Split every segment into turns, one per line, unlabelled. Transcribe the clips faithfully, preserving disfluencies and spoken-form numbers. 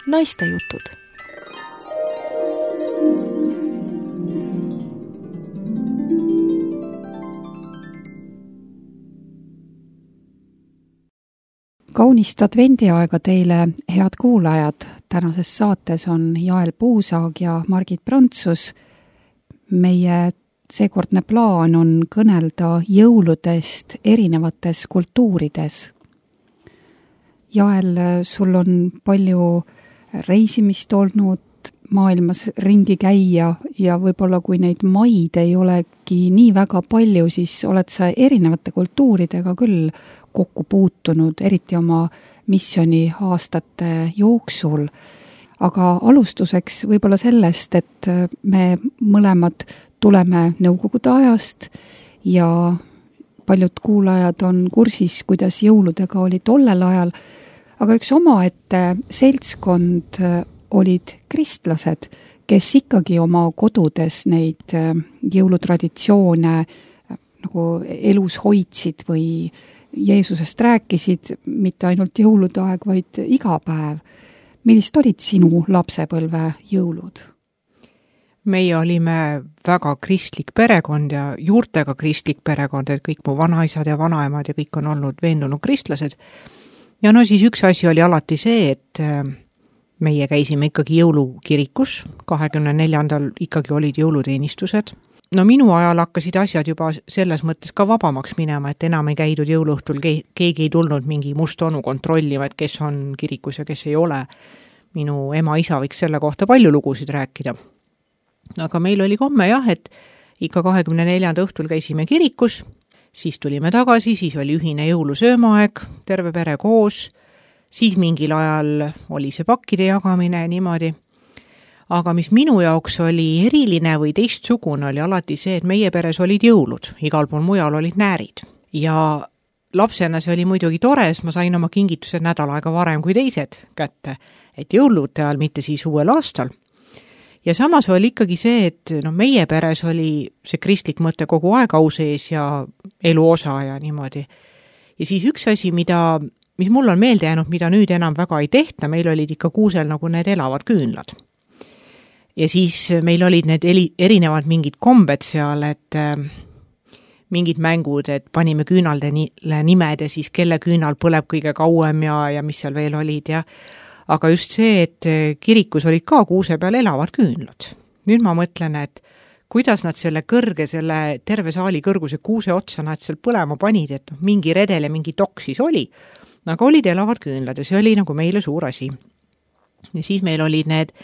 Naistejutud.
Kaunist advendiaega teile, head kuulajad. Tänases saates on Jael Puusaag ja Margit Prantsus. Meie seekordne plaan on kõnelda jõuludest erinevates kultuurides. Jael, sul on palju reisimist olnud, maailmas ringi käia ja võib-olla kui neid maid ei olegi nii väga palju, siis oled sa erinevate kultuuridega küll kokku puutunud, eriti oma missiooni aastate jooksul. Aga alustuseks võib-olla sellest, et me mõlemad tuleme Nõukogude ajast ja paljud kuulajad on kursis, kuidas jõuludega oli tollel ajal, aga üks omaette seltskond olid kristlased, kes ikkagi oma kodudes neid jõulutraditsioone nagu elus hoidsid või Jeesusest rääkisid, mitte ainult jõulude aeg, vaid iga päev. Millist olid sinu lapsepõlve jõulud?
Meie olime väga kristlik perekond ja juurtega kristlik perekond, et kõik mu vanaisad ja vanaemad ja kõik on olnud veendunud kristlased. Ja no siis üks asi oli alati see, et meie käisime ikkagi jõulukirikus, kahekümne neljandal ikkagi olid jõuluteenistused. No minu ajal hakkasid asjad juba selles mõttes ka vabamaks minema, et enam ei käidud jõuluõhtul, keegi ei tulnud mingi must onu kontrollima, et kes on kirikus ja kes ei ole. Minu ema-isa võiks selle kohta palju lugusid rääkida. Aga meil oli komme jah, et ikka kahekümne neljanda õhtul käisime kirikus, siis tulime tagasi, siis oli ühine jõulusöömaaeg, terve pere koos, siis mingil ajal oli see pakkide jagamine ja niimoodi. Aga mis minu jaoks oli eriline või teistsugune oli alati see, et meie peres olid jõulud, igal pool mujal olid näärid. Ja lapsena see oli muidugi tore, sest ma sain oma kingitused nädal aega varem kui teised kätte, et jõulude ajal, mitte siis uuel aastal. Ja samas oli ikkagi see, et no, meie peres oli see kristlik mõte kogu aeg au sees ja elu osa ja niimoodi. Ja siis üks asi, mida, mis mul on meelde jäänud, mida nüüd enam väga ei tehta, meil olid ikka kuusel nagu need elavad küünlad. Ja siis meil olid need erinevad mingid kombed seal, et äh, mingid mängud, et panime küünaldele nimed ja siis kelle küünal põleb kõige kauem ja, ja mis seal veel olid. Ja. Aga just see, et kirikus olid ka kuuse peal elavad küünlad. Nüüd ma mõtlen, et kuidas nad selle kõrge, selle terve saali kõrguse kuuse otsa nad seal põlema panid, et no, mingi redel ja mingi tok siis oli. Aga olid elavad küünlad ja see oli nagu meile suur asi. Ja siis meil olid need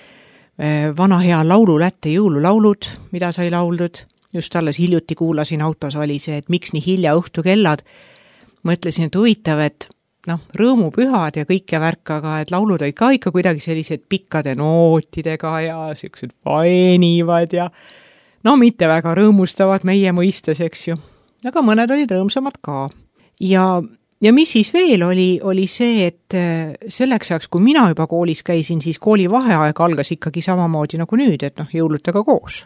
vana hea laululätte jõululaulud, mida sai lauldud. Just alles hiljuti kuulasin autos oli see, et miks nii hilja õhtu kellad. Mõtlesin, et huvitav, et noh, rõõmupühad ja kõike värk, aga et laulud olid ka ikka kuidagi sellised pikkade nootidega ja sellised vaenivad ja no mitte väga rõõmustavad meie mõistes, eks ju. Aga mõned olid rõõmsamad ka. Ja Ja mis siis veel oli, oli see, et selleks ajaks, kui mina juba koolis käisin, siis kooli vaheaeg algas ikkagi samamoodi nagu nüüd, et noh, jõulutega koos.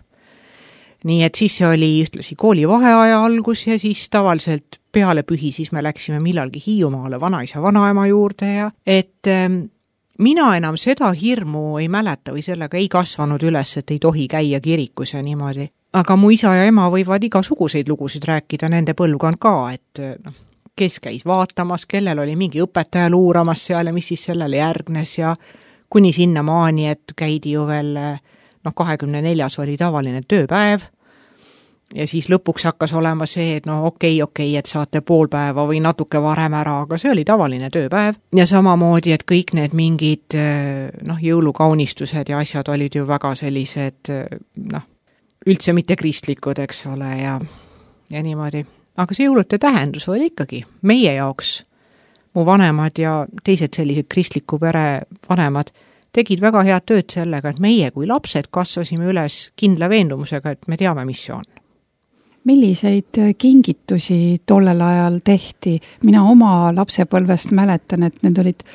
Nii et siis see oli ühtlasi kooli vaheaja algus ja siis tavaliselt peale pühi siis me läksime millalgi Hiiumaale vanaisa vanaema juurde ja et ähm, mina enam seda hirmu ei mäleta või sellega ei kasvanud üles, et ei tohi käia kirikus ja niimoodi. Aga mu isa ja ema võivad igasuguseid lugusid rääkida, nende põlvkond ka, et noh, kes käis vaatamas, kellel oli mingi õpetaja luuramas seal ja mis siis sellele järgnes ja kuni sinna maani, et käidi ju veel, noh, kahekümne neljas oli tavaline tööpäev ja siis lõpuks hakkas olema see, et no okei, okei, et saate pool päeva või natuke varem ära, aga see oli tavaline tööpäev ja samamoodi, et kõik need mingid, noh, jõulukaunistused ja asjad olid ju väga sellised, noh, üldse mitte kristlikud, eks ole, ja, ja niimoodi. Aga see jõulude tähendus oli ikkagi meie jaoks, mu vanemad ja teised sellised kristliku pere vanemad tegid väga head tööd sellega, et meie kui lapsed kasvasime üles kindla veendumusega, et me teame, mis see on.
Milliseid kingitusi tollel ajal tehti? Mina oma lapsepõlvest mäletan, et need olid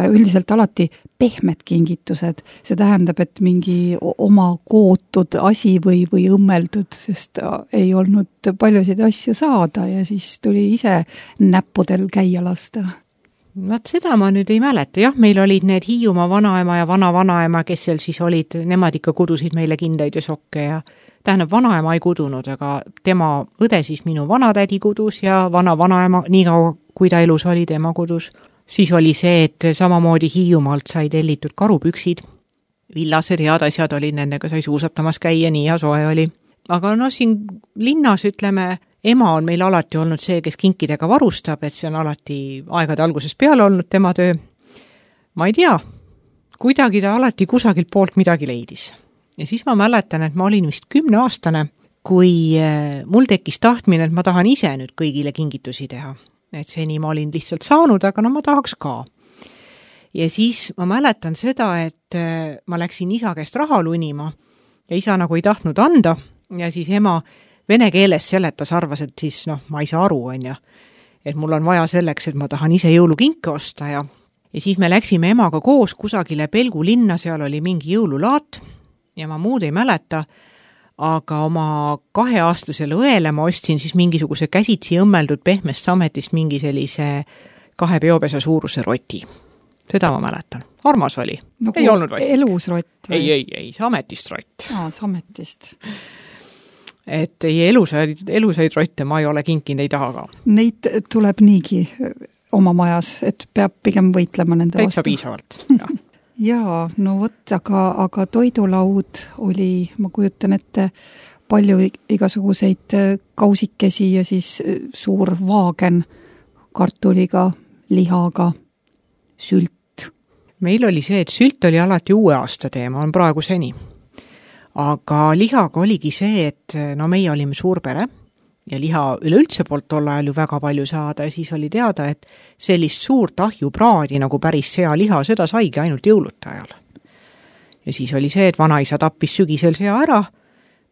üldiselt alati pehmed kingitused. See tähendab, et mingi oma kootud asi või, või õmmeldud, sest ei olnud paljusid asju saada ja siis tuli ise näppudel käia lasta.
Vaat seda ma nüüd ei mäleta, jah, meil olid need Hiiumaa vanaema ja vana-vanaema, kes seal siis olid, nemad ikka kudusid meile kindaid ja sokke ja tähendab, vanaema ei kudunud, aga tema õde siis minu vanatädi kudus ja vana-vanaema, nii kaua kui ta elus oli, tema kudus. Siis oli see, et samamoodi Hiiumaalt sai tellitud karupüksid, villased head asjad olid, nendega sai suusatamas käia, nii ja soe oli. Aga no siin linnas, ütleme, ema on meil alati olnud see, kes kinkidega varustab, et see on alati aegade algusest peale olnud tema töö. Ma ei tea, kuidagi ta alati kusagilt poolt midagi leidis. Ja siis ma mäletan, et ma olin vist kümneaastane, kui mul tekkis tahtmine, et ma tahan ise nüüd kõigile kingitusi teha. Et seni ma olin lihtsalt saanud, aga no ma tahaks ka. Ja siis ma mäletan seda, et ma läksin isa käest raha lunima ja isa nagu ei tahtnud anda ja siis ema vene keeles seletas, arvas, et siis noh, ma ei saa aru, on ja, et mul on vaja selleks, et ma tahan ise jõulukinke osta ja, ja siis me läksime emaga koos kusagile Pelgu linna, seal oli mingi jõululaat ja ma muud ei mäleta, aga oma kaheaastasele õele ma ostsin siis mingisuguse käsitsi õmmeldud pehmest sametist mingi sellise kahe peopesa suuruse roti. Seda ma mäletan. Armas oli.
Nagu
ei olnud vast.
Elus rott või?
Ei, ei, ei, sametist rott.
Aa, sametist.
Et ei elusaid, elusaid rotte ma ei ole kinkinud, ei taha ka.
Neid tuleb niigi oma majas, et peab pigem võitlema nende
Täitsa
vastu.
piisavalt. Ja.
Jaa, no võt, aga, aga toidulaud oli, ma kujutan ette, palju igasuguseid kausikesi ja siis suur vaagen kartuliga, lihaga, sült.
Meil oli see, et sült oli alati uue aasta teema, on praegu seni. Aga lihaga oligi see, et no meie olime suur pere ja liha üleüldse poolt tol ajal ju väga palju saada ja siis oli teada, et sellist suurt ahjupraadi nagu päris sealiha, seda saigi ainult jõuluta ajal. Ja siis oli see, et vanaisa tappis sügisel sea ära,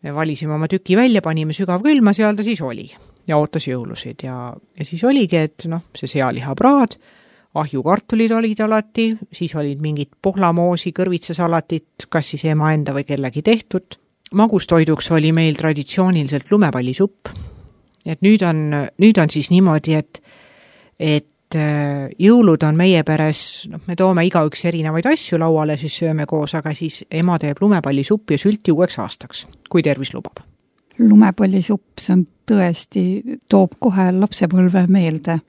me valisime oma tüki välja, panime sügav külma, seal ta siis oli ja ootas jõulusid ja, ja siis oligi, et noh, see sealihapraad, ahjukartulid olid alati, siis olid mingid pohlamoosi, kõrvitsasalatit, kas siis ema enda või kellegi tehtud. Magustoiduks oli meil traditsiooniliselt lumepallisupp. Et nüüd on, nüüd on siis niimoodi, et, et jõulud on meie peres, no, me toome igaüks erinevaid asju lauale, siis sööme koos, aga siis ema teeb lumepallisupp ja sülti uueks aastaks, kui tervis lubab.
Lumepallisupp, see on tõesti, toob kohe lapsepõlve meelde.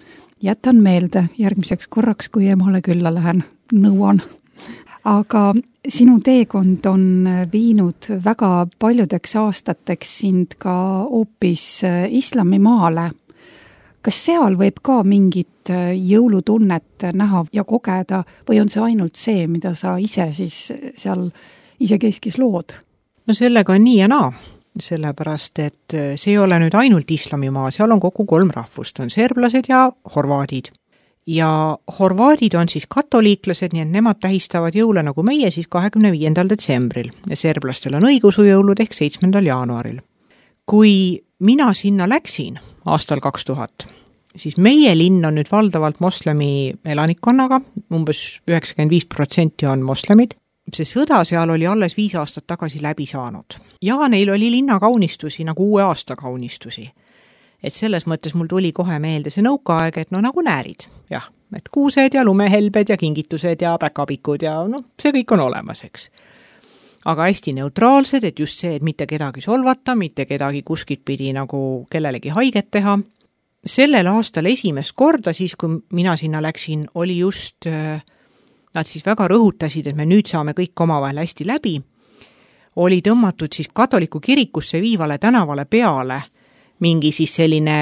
Jätan meelde järgmiseks korraks, kui emale külla lähen, nõuan. Aga sinu teekond on viinud väga paljudeks aastateks sind ka hoopis islamimaale. Kas seal võib ka mingit jõulutunnet näha ja kogeda või on see ainult see, mida sa ise siis seal isekeskis lood?
No sellega on nii ja naa. Sellepärast, et see ei ole nüüd ainult islamimaa, seal on kogu kolm rahvust, on serblased ja horvaadid. Ja horvaadid on siis katoliiklased, nii et nemad tähistavad jõule nagu meie siis kahekümne viiendal detsembril ja serblastel on õigusujõulud ehk seitsmendal jaanuaril. Kui mina sinna läksin aastal kaks tuhat, siis meie linn on nüüd valdavalt moslemi elanikkonnaga, umbes üheksakümmend viis protsenti on moslemid. See sõda seal oli alles viis aastat tagasi läbi saanud. Ja neil oli linna kaunistusi, nagu uue aasta kaunistusi. Et selles mõttes mul tuli kohe meelde see nõukaaeg, et no nagu näärid. Jah, et kuused ja lumehelbed ja kingitused ja päkapikud ja no, see kõik on olemas, eks. Aga hästi neutraalsed, et just see, et mitte kedagi solvata, mitte kedagi kuskilt pidi nagu kellelegi haiget teha. Sellel aastal esimest korda, siis kui mina sinna läksin, oli just... Nad siis väga rõhutasid, et me nüüd saame kõik omavahel hästi läbi, oli tõmmatud siis katoliku kirikusse viivale tänavale peale mingi siis selline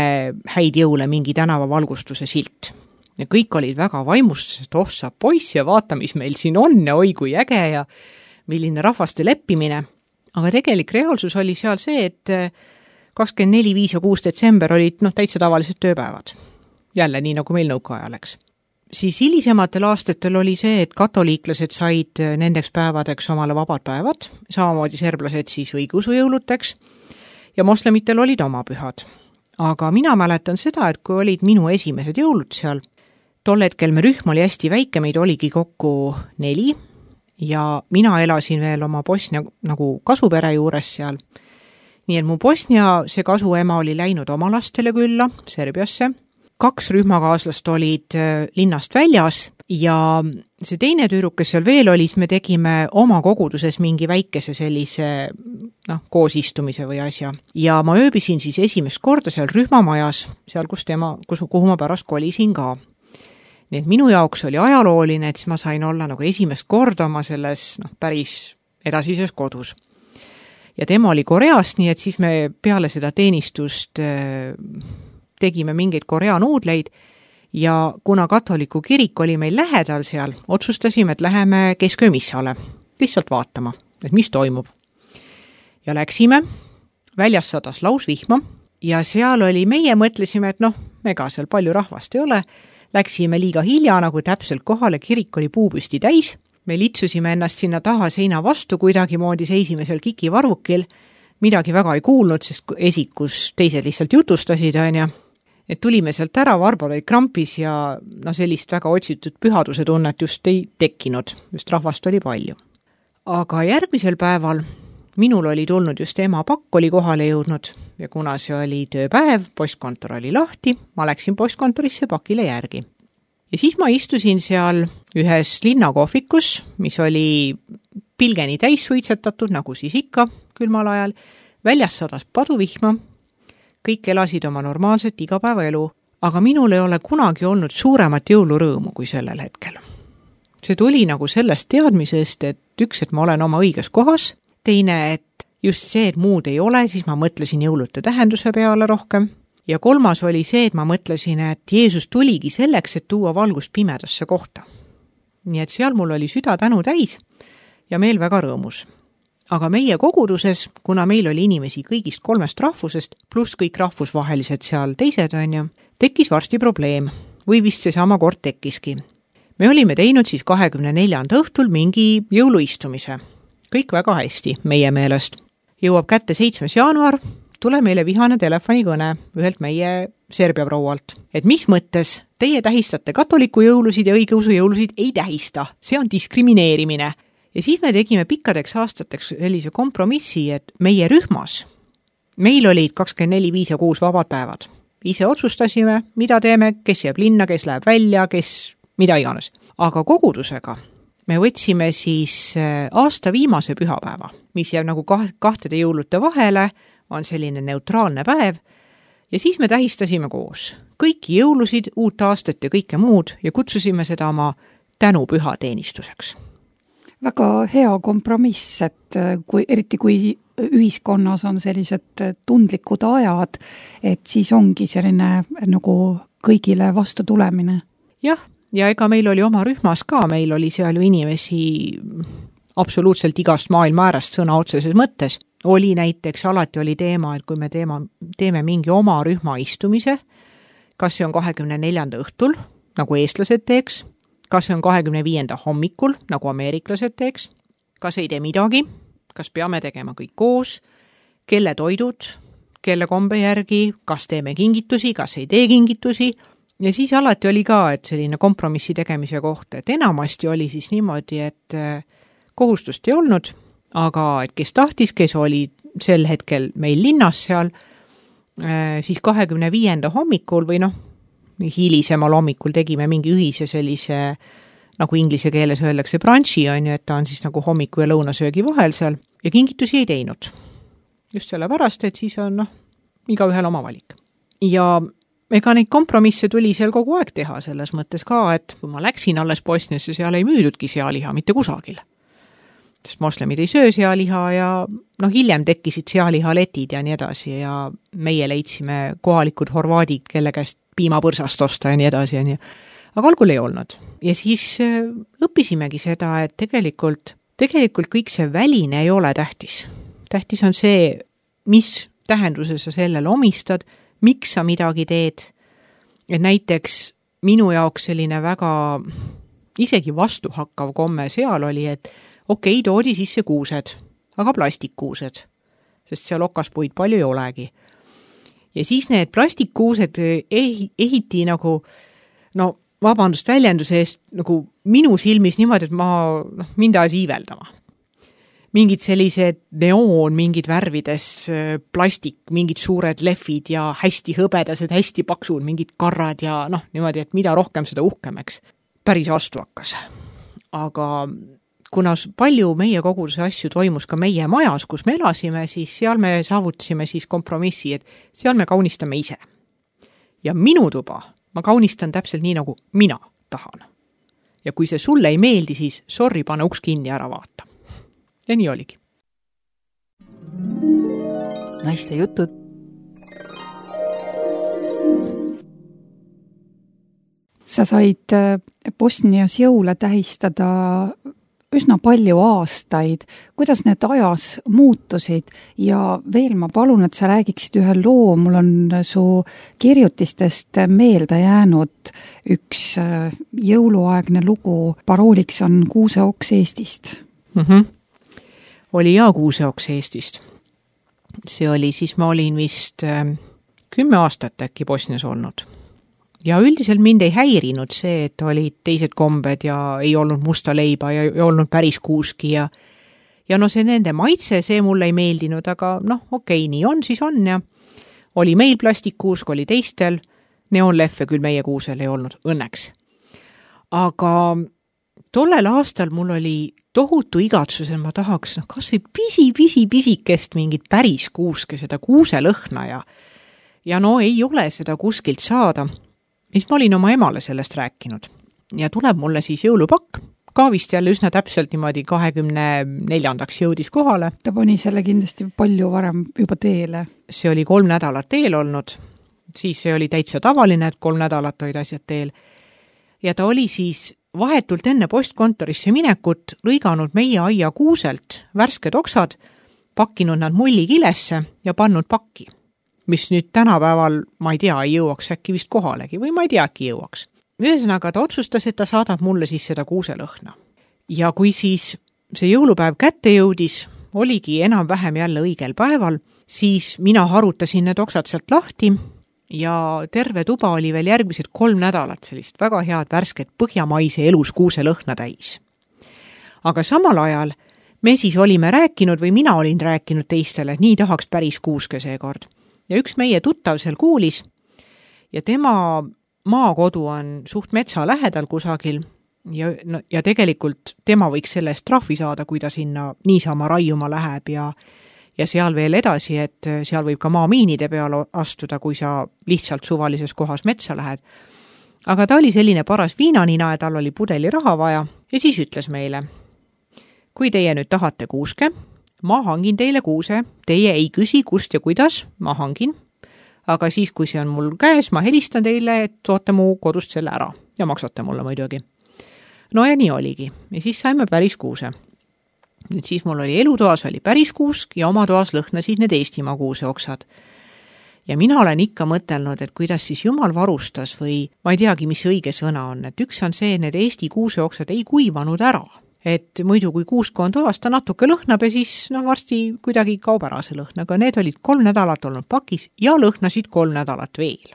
häid jõule, mingi tänavavalgustuse silt. Ja kõik olid väga vaimustused, oh sa poiss ja vaata, mis meil siin on ja oi kui äge ja milline rahvaste leppimine. Aga tegelik reaalsus oli seal see, et kakskümmend neli, viis ja kuus detsember olid noh, täitsa tavalised tööpäevad. Jälle nii, nagu meil nõukajaleks. Siis hilisematel aastatel oli see, et katoliiklased said nendeks päevadeks omale vabad päevad, samamoodi serblased siis õigusujõuluteks ja moslemitel olid oma pühad. Aga mina mäletan seda, et kui olid minu esimesed jõulud seal, tol hetkel me rühm oli hästi väike, meid oligi kokku neli ja mina elasin veel oma Bosnia nagu kasupere juures seal. Nii et mu Bosnia see kasuema oli läinud oma lastele külla Serbiasse. kaks rühmakaaslast olid linnast väljas ja see teine tüdruk, kes seal veel oli, siis me tegime oma koguduses mingi väikese sellise noh, koosistumise või asja. Ja ma ööbisin siis esimest korda seal rühmamajas, seal, kus tema, kus, kuhu ma pärast kolisin ka. Nii et minu jaoks oli ajalooline, et siis ma sain olla nagu esimest korda oma selles noh, päris edasises kodus. Ja tema oli Koreast, nii et siis me peale seda teenistust äh, tegime mingeid Korea nuudleid ja kuna katoliku kirik oli meil lähedal seal, otsustasime, et läheme kesköömissale lihtsalt vaatama, et mis toimub. Ja läksime, väljas sadas lausvihma ja seal oli, meie mõtlesime, et noh, ega seal palju rahvast ei ole, läksime liiga hilja, nagu täpselt kohale, kirik oli puupüsti täis, me litsusime ennast sinna taha seina vastu, kuidagi moodi seisime seal kikivarvukil, midagi väga ei kuulnud, sest esikus teised lihtsalt jutustasid, on ja et tulime sealt ära, varbalid krampis ja no sellist väga otsitud pühaduse tunnet just ei tekkinud, just rahvast oli palju. Aga järgmisel päeval minul oli tulnud just ema pakk oli kohale jõudnud ja kuna see oli tööpäev, postkontor oli lahti, ma läksin postkontorisse pakile järgi. Ja siis ma istusin seal ühes linnakohvikus, mis oli pilgeni täis suitsetatud, nagu siis ikka külmal ajal, väljas sadas paduvihma, kõik elasid oma normaalset igapäevaelu, aga minul ei ole kunagi olnud suuremat jõulurõõmu kui sellel hetkel. See tuli nagu sellest teadmisest, et üks, et ma olen oma õiges kohas, teine, et just see, et muud ei ole, siis ma mõtlesin jõulute tähenduse peale rohkem. Ja kolmas oli see, et ma mõtlesin, et Jeesus tuligi selleks, et tuua valgust pimedasse kohta. Nii et seal mul oli süda tänu täis ja meel väga rõõmus. Aga meie koguduses, kuna meil oli inimesi kõigist kolmest rahvusest, pluss kõik rahvusvahelised seal teised on ju, tekkis varsti probleem või vist see sama kord tekkiski. Me olime teinud siis kahekümne neljanda õhtul mingi jõuluistumise. Kõik väga hästi meie meelest. Jõuab kätte seitsmes jaanuar, tule meile vihane telefonikõne ühelt meie Serbia proualt. Et mis mõttes teie tähistate katoliku jõulusid ja õigeusu jõulusid ei tähista. See on diskrimineerimine. Ja siis me tegime pikkadeks aastateks sellise kompromissi, et meie rühmas, meil olid kakskümmend neli, viis ja kuus vabad päevad. Ise otsustasime, mida teeme, kes jääb linna, kes läheb välja, kes mida iganes. Aga kogudusega me võtsime siis aasta viimase pühapäeva, mis jääb nagu kahtede jõulute vahele, on selline neutraalne päev, ja siis me tähistasime koos kõiki jõulusid, uut aastat ja kõike muud ja kutsusime seda oma tänupüha teenistuseks.
Väga hea kompromiss, et kui, eriti kui ühiskonnas on sellised tundlikud ajad, et siis ongi selline nagu kõigile vastu tulemine.
Jah, ja ega meil oli oma rühmas ka, meil oli seal ju inimesi absoluutselt igast maailma äärast sõna otseses mõttes. Oli näiteks, alati oli teema, et kui me teema, teeme mingi oma rühma istumise, kas see on kahekümne neljanda õhtul, nagu eestlased teeks, kas see on kahekümne viienda hommikul, nagu ameeriklased teeks, kas ei tee midagi, kas peame tegema kõik koos, kelle toidud, kelle kombe järgi, kas teeme kingitusi, kas ei tee kingitusi. Ja siis alati oli ka, et selline kompromissi tegemise koht, et enamasti oli siis niimoodi, et kohustust ei olnud, aga et kes tahtis, kes oli sel hetkel meil linnas seal, siis kahekümne viienda hommikul või noh, hilisemal hommikul tegime mingi ühise sellise, nagu inglise keeles öeldakse brunchi, on ju, et ta on siis nagu hommiku ja lõunasöögi vahel seal ja kingitusi ei teinud. Just sellepärast, et siis on noh, iga ühel oma valik. Ja ega neid kompromisse tuli seal kogu aeg teha selles mõttes ka, et kui ma läksin alles Bosniasse, seal ei müüdudki sealiha mitte kusagil. Sest moslemid ei söö sealiha ja noh, hiljem tekkisid sealihaletid ja nii edasi ja meie leidsime kohalikud horvaadid, kelle käest piimapõrsast osta ja nii edasi ja nii. Aga algul ei olnud. Ja siis õppisimegi seda, et tegelikult, tegelikult kõik see väline ei ole tähtis. Tähtis on see, mis tähenduse sa sellele omistad, miks sa midagi teed. Et näiteks minu jaoks selline väga isegi vastuhakkav komme seal oli, et okei, toodi sisse kuused, aga plastikkuused, sest seal okaspuid palju ei olegi. Ja siis need plastikkuused ehiti nagu, no vabandust väljenduse eest, nagu minu silmis niimoodi, et ma, noh, mind ajas iiveldama. mingid sellised neoon, mingid värvides plastik, mingid suured lehvid ja hästi hõbedased, hästi paksud, mingid karrad ja noh, niimoodi, et mida rohkem seda uhkemaks. Päris vastu hakkas. Aga kuna palju meie koguduse asju toimus ka meie majas, kus me elasime, siis seal me saavutasime siis kompromissi, et seal me kaunistame ise. Ja minu tuba ma kaunistan täpselt nii, nagu mina tahan. Ja kui see sulle ei meeldi, siis sorry, pane uks kinni ära vaata. Ja nii oligi.
Naiste jutud.
Sa said Bosnias jõule tähistada üsna palju aastaid. Kuidas need ajas muutusid? Ja veel ma palun, et sa räägiksid ühe loo. Mul on su kirjutistest meelde jäänud üks jõuluaegne lugu. Parooliks on Kuuseoks Eestist.
Mhm. Oli ja Kuuseoks Eestist. See oli, siis ma olin vist kümme aastat äkki Bosnias olnud. Ja üldiselt mind ei häirinud see, et olid teised kombed ja ei olnud musta leiba ja ei olnud päris kuuski ja ja no see nende maitse, see mulle ei meeldinud, aga noh, okei, nii on, siis on ja oli meil plastikkuusk, oli teistel, neonlehve küll meie kuusel ei olnud, õnneks. Aga tollel aastal mul oli tohutu igatsus, et ma tahaks no, kas või pisi, pisi, pisikest mingit päris kuuske, seda kuuselõhna ja ja no ei ole seda kuskilt saada. Siis ma olin oma emale sellest rääkinud ja tuleb mulle siis jõulupakk, ka vist jälle üsna täpselt niimoodi kahekümne neljandaks jõudis kohale.
Ta pani selle kindlasti palju varem juba teele.
See oli kolm nädalat teel olnud, siis see oli täitsa tavaline, et kolm nädalat olid asjad teel. Ja ta oli siis vahetult enne postkontorisse minekut lõiganud meie aia kuuselt värsked oksad, pakkinud nad mullikilesse ja pannud pakki. Mis nüüd tänapäeval, ma ei tea, ei jõuaks äkki vist kohalegi või ma ei tea, äkki jõuaks. Ühesõnaga ta otsustas, et ta saadab mulle siis seda kuuselõhna. Ja kui siis see jõulupäev kätte jõudis, oligi enam-vähem jälle õigel päeval, siis mina harutasin need oksad sealt lahti ja terve tuba oli veel järgmised kolm nädalat sellist väga head värsket põhjamaise elus kuuselõhna täis. Aga samal ajal me siis olime rääkinud või mina olin rääkinud teistele, et nii tahaks päris kuuske seekord. Ja üks meie tuttav seal kuulis ja tema maakodu on suht metsa lähedal kusagil ja, no, ja tegelikult tema võiks selle eest trahvi saada, kui ta sinna niisama raiuma läheb ja, ja seal veel edasi, et seal võib ka maamiinide peale astuda, kui sa lihtsalt suvalises kohas metsa lähed. Aga ta oli selline paras viinanina ja tal oli pudeli raha vaja ja siis ütles meile, kui teie nüüd tahate kuuske, ma hangin teile kuuse, teie ei küsi kust ja kuidas, ma hangin, aga siis, kui see on mul käes, ma helistan teile, et toote mu kodust selle ära ja maksate mulle muidugi. No ja nii oligi ja siis saime päris kuuse. Nüüd siis mul oli elutoas oli päris kuusk ja oma toas lõhnasid need Eestimaa kuuseoksad. Ja mina olen ikka mõtelnud, et kuidas siis Jumal varustas või ma ei teagi, mis õige sõna on, et üks on see, need Eesti kuuseoksad ei kuivanud ära. Et muidu kui kuusk on toas, ta natuke lõhnab ja siis no, varsti kuidagi kaob ära see lõhn, aga need olid kolm nädalat olnud pakis ja lõhnasid kolm nädalat veel.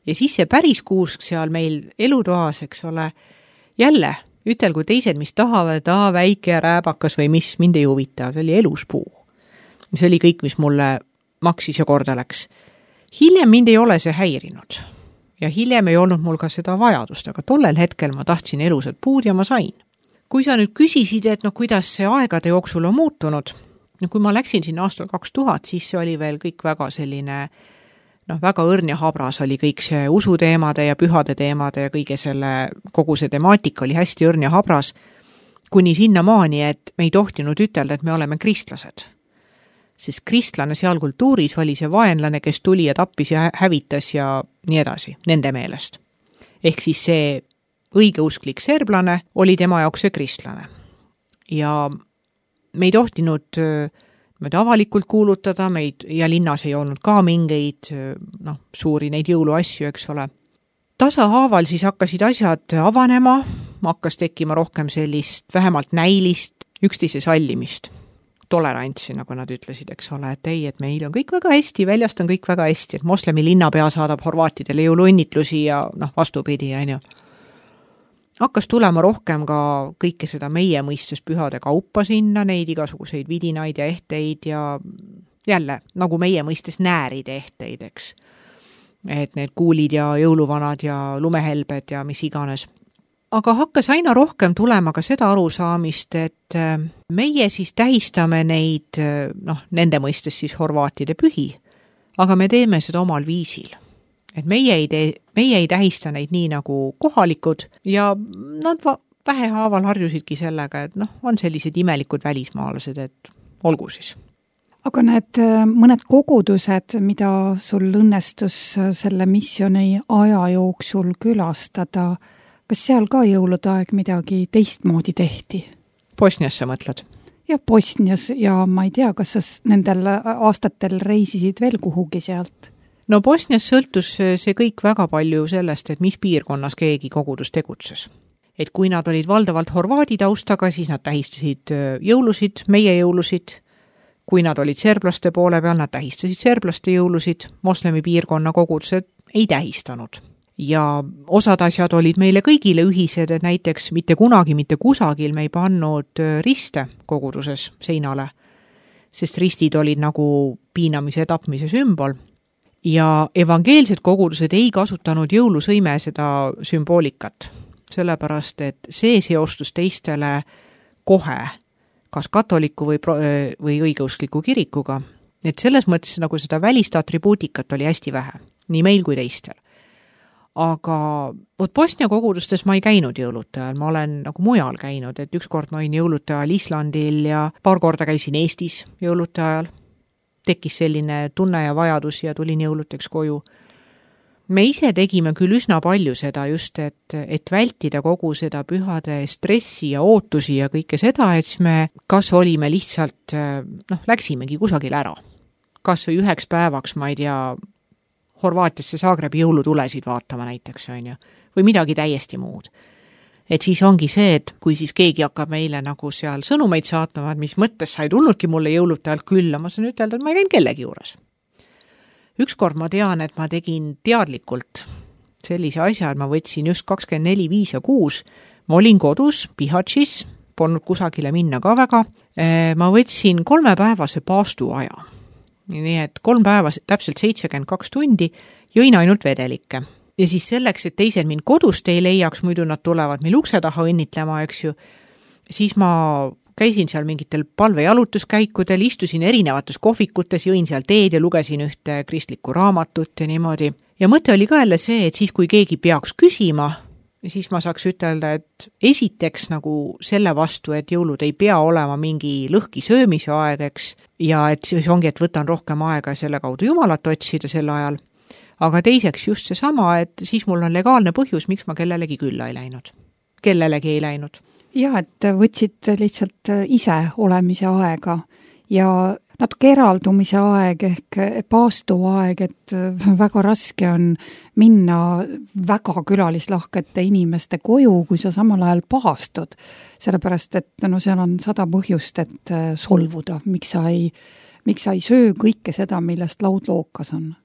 Ja siis see päris kuusk seal meil elutoas, eks ole, jälle ütelgu teised, mis tahavad, aa, väike ja rääbakas või mis, mind ei huvita, see oli eluspuu. See oli kõik, mis mulle maksis ja korda läks. Hiljem mind ei ole see häirinud ja hiljem ei olnud mul ka seda vajadust, aga tollel hetkel ma tahtsin elusad puud ja ma sain. Kui sa nüüd küsisid, et no kuidas see aegade jooksul on muutunud, no kui ma läksin siin aastal kaks tuhat, siis see oli veel kõik väga selline, noh, väga õrn ja habras oli kõik see usuteemade ja pühade teemade ja kõige selle, kogu see temaatika oli hästi õrn ja habras, kuni sinna maani, et me ei tohtinud ütelda, et me oleme kristlased. Sest kristlane seal kultuuris oli see vaenlane, kes tuli ja tappis ja hävitas ja nii edasi, nende meelest. Ehk siis see õigeusklik serblane oli tema jaoks see kristlane. Ja me ei tohtinud meid avalikult kuulutada, meid, ja linnas ei olnud ka mingeid noh, suuri neid jõuluasju, eks ole. Tasahaaval siis hakkasid asjad avanema, hakkas tekkima rohkem sellist vähemalt näilist üksteise sallimist, tolerantsi, nagu nad ütlesid, eks ole, et ei, et meil on kõik väga hästi, väljast on kõik väga hästi, et moslemi linnapea saadab horvaatidele jõuluõnnitlusi ja noh, vastupidi, on ju. hakkas tulema rohkem ka kõike seda meie mõistes pühade kaupa sinna, neid igasuguseid vidinaid ja ehteid ja jälle, nagu meie mõistes nääride ehteid, eks. Et need kuulid ja jõuluvanad ja lumehelbed ja mis iganes. Aga hakkas aina rohkem tulema ka seda arusaamist, et meie siis tähistame neid, noh, nende mõistes siis horvaatide pühi, aga me teeme seda omal viisil. Et meie ei, tee, meie ei tähista neid nii nagu kohalikud ja nad vähehaaval harjusidki sellega, et noh, on sellised imelikud välismaalased, et olgu siis.
Aga need mõned kogudused, mida sul õnnestus selle missiooni aja jooksul külastada, kas seal ka jõulude aeg midagi teistmoodi tehti?
Bosnias sa mõtled?
Ja Bosnias ja ma ei tea, kas sa nendel aastatel reisisid veel kuhugi sealt?
No Bosnias sõltus see kõik väga palju sellest, et mis piirkonnas keegi kogudus tegutses. Et kui nad olid valdavalt horvaadi taustaga, siis nad tähistasid jõulusid, meie jõulusid. Kui nad olid serblaste poole peal, nad tähistasid serblaste jõulusid, moslemi piirkonna kogudused ei tähistanud. Ja osad asjad olid meile kõigile ühised, et näiteks mitte kunagi, mitte kusagil me ei pannud riste koguduses seinale, sest ristid olid nagu piinamise ja tapmise sümbol. Ja evangeelsed kogudused ei kasutanud jõulusõime seda sümboolikat, sellepärast et see seostus teistele kohe, kas katoliku või, või õigeuskliku kirikuga. Et selles mõttes nagu seda välist atribuutikat oli hästi vähe, nii meil kui teistel. Aga vot Bosnia kogudustes ma ei käinud jõulude ajal, ma olen nagu mujal käinud, et üks kord ma olin jõulude ajal Islandil ja paar korda käisin Eestis jõulude ajal. Tekkis selline tunne ja vajadus ja tulin jõuluteks koju. Me ise tegime küll üsna palju seda just, et, et vältida kogu seda pühade stressi ja ootusi ja kõike seda, et me kas olime lihtsalt, noh, läksimegi kusagil ära. Kas või üheks päevaks, ma ei tea, Horvaatiasse Zagrebi jõulutulesid vaatama näiteks, on ju, või midagi täiesti muud. Et siis ongi see, et kui siis keegi hakkab meile nagu seal sõnumeid saatma, et mis mõttes sa ei tulnudki mulle jõulude ajal külla, ma saan ütelda, et ma ei käinud kellegi juures. Ükskord ma tean, et ma tegin teadlikult sellise asja, et ma võtsin just kakskümmend neli, viis ja kuus, ma olin kodus, Pihatšis, polnud kusagile minna ka väga, ma võtsin kolmepäevase paastuaja. Nii et kolm päeva, täpselt seitsekümmend kaks tundi, jõin ainult vedelikke. Ja siis selleks, et teised mind kodust ei leiaks, muidu nad tulevad meil ukse taha õnnitlema, eks ju, siis ma käisin seal mingitel palvejalutuskäikudel, istusin erinevates kohvikutes, jõin seal teed ja lugesin ühte kristlikku raamatut ja niimoodi. Ja mõte oli ka jälle see, et siis kui keegi peaks küsima, siis ma saaks ütelda, et esiteks nagu selle vastu, et jõulud ei pea olema mingi lõhki söömise aegeks ja et siis ongi, et võtan rohkem aega selle kaudu Jumalat otsida sel ajal. Aga teiseks just see sama, et siis mul on legaalne põhjus, miks ma kellelegi külla ei läinud. Kellelegi ei läinud.
Ja, et võtsid lihtsalt ise olemise aega ja natuke eraldumise aeg ehk paastu aeg, et väga raske on minna väga külalislahkete inimeste koju, kui sa samal ajal paastud. Sellepärast, et no seal on sada põhjust, et solvuda, miks sa ei, miks sa ei söö kõike seda, millest laud lookas on.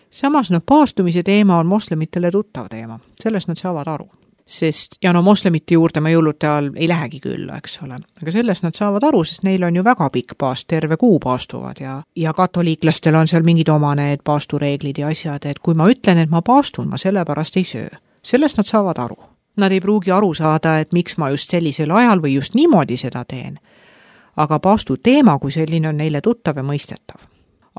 Samas no paastumise teema on moslemitele tuttav teema, sellest nad saavad aru. Sest, ja no moslemite juurde ma jõulude ajal ei lähegi küll, eks ole. Aga sellest nad saavad aru, sest neil on ju väga pikk paast, terve kuu paastuvad ja, ja katoliiklastel on seal mingid oma need paastureeglid ja asjad, et kui ma ütlen, et ma paastun, ma sellepärast ei söö. Sellest nad saavad aru. Nad ei pruugi aru saada, et miks ma just sellisel ajal või just niimoodi seda teen. Aga paastu teema, kui selline on neile tuttav ja mõistetav.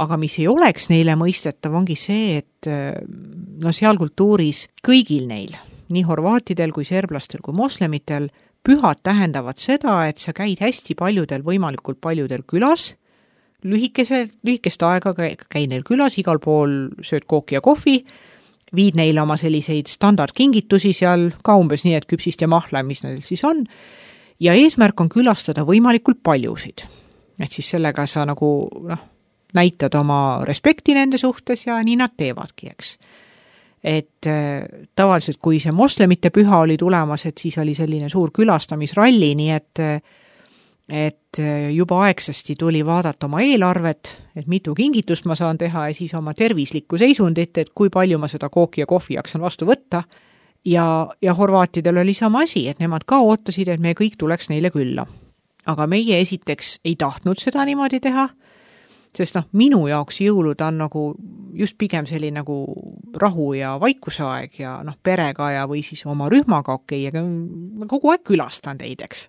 Aga mis ei oleks neile mõistetav, ongi see, et no seal kultuuris kõigil neil, nii horvaatidel kui serblastel kui moslemitel, pühad tähendavad seda, et sa käid hästi paljudel, võimalikult paljudel külas, lühikese, lühikest aega käid neil külas, igal pool sööd kooki ja kohvi, viid neile oma selliseid standardkingitusi seal, ka umbes nii, et küpsist ja mahla, mis neil siis on, ja eesmärk on külastada võimalikult paljusid. Et siis sellega sa nagu, noh, näitad oma respekti nende suhtes ja nii nad teevadki, eks. Et tavaliselt, kui see moslemite püha oli tulemas, et siis oli selline suur külastamisralli, nii et, et juba aegsasti tuli vaadata oma eelarvet, et mitu kingitust ma saan teha ja siis oma tervislikku seisundit, et kui palju ma seda kooki ja kohvi jaksan vastu võtta, ja, ja horvaatidel oli sama asi, et nemad ka ootasid, et me kõik tuleks neile külla. Aga meie esiteks ei tahtnud seda niimoodi teha, sest noh, minu jaoks jõulud on nagu just pigem selline nagu rahu ja vaikusaeg ja noh, perega ja või siis oma rühmaga okei, aga kogu aeg külastan teid, eks.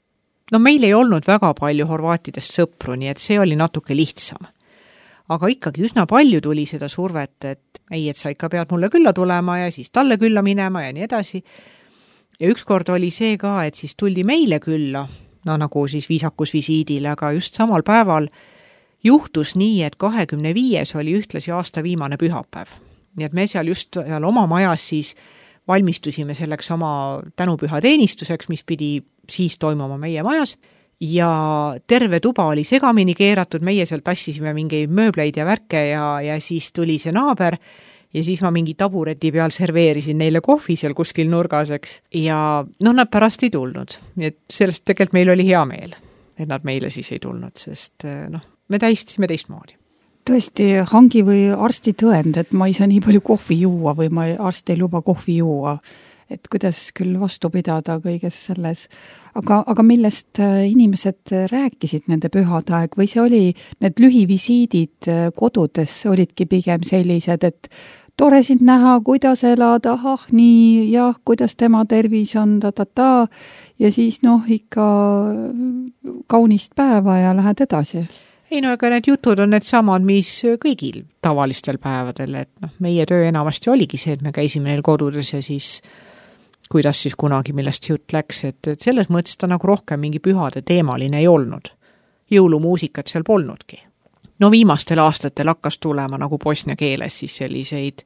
No meil ei olnud väga palju horvaatidest sõpru, nii et see oli natuke lihtsam. Aga ikkagi üsna palju tuli seda survet, et ei, et sa ikka pead mulle külla tulema ja siis talle külla minema ja nii edasi. Ja ükskord oli see ka, et siis tuldi meile külla, no nagu siis viisakusvisiidile, aga just samal päeval juhtus nii, et kahekümne viies oli ühtlasi aasta viimane pühapäev. Nii et me seal just seal oma majas siis valmistusime selleks oma tänupüha teenistuseks, mis pidi siis toimuma meie majas. Ja terve tuba oli segamini keeratud, meie seal tassisime mingeid mööbleid ja värke ja, ja siis tuli see naaber ja siis ma mingi tabureti peal serveerisin neile kohvi seal kuskil nurgaseks ja noh, nad pärast ei tulnud. Nii et sellest tegelikult meil oli hea meel, et nad meile siis ei tulnud, sest noh, me täistisime teistmoodi.
Tõesti, hangi või arsti tõend, et ma ei saa nii palju kohvi juua või ma arst ei luba kohvi juua. Et kuidas küll vastu pidada kõiges selles. Aga, aga millest inimesed rääkisid nende pühade aeg või see oli, need lühivisiidid kodudes olidki pigem sellised, et tore sind näha, kuidas elada, ah nii, jah, kuidas tema tervis on, ta-ta-ta ja siis noh, ikka kaunist päeva ja lähed edasi.
Ei no, aga need jutud on need samad, mis kõigil tavalistel päevadel, et noh, meie töö enamasti oligi see, et me käisime neil kodudes ja siis kuidas siis kunagi millest jutt läks, et, et selles mõttes ta nagu rohkem mingi pühade teemaline ei olnud. Jõulumuusikat seal polnudki. No viimastel aastatel hakkas tulema nagu bosnia keeles siis selliseid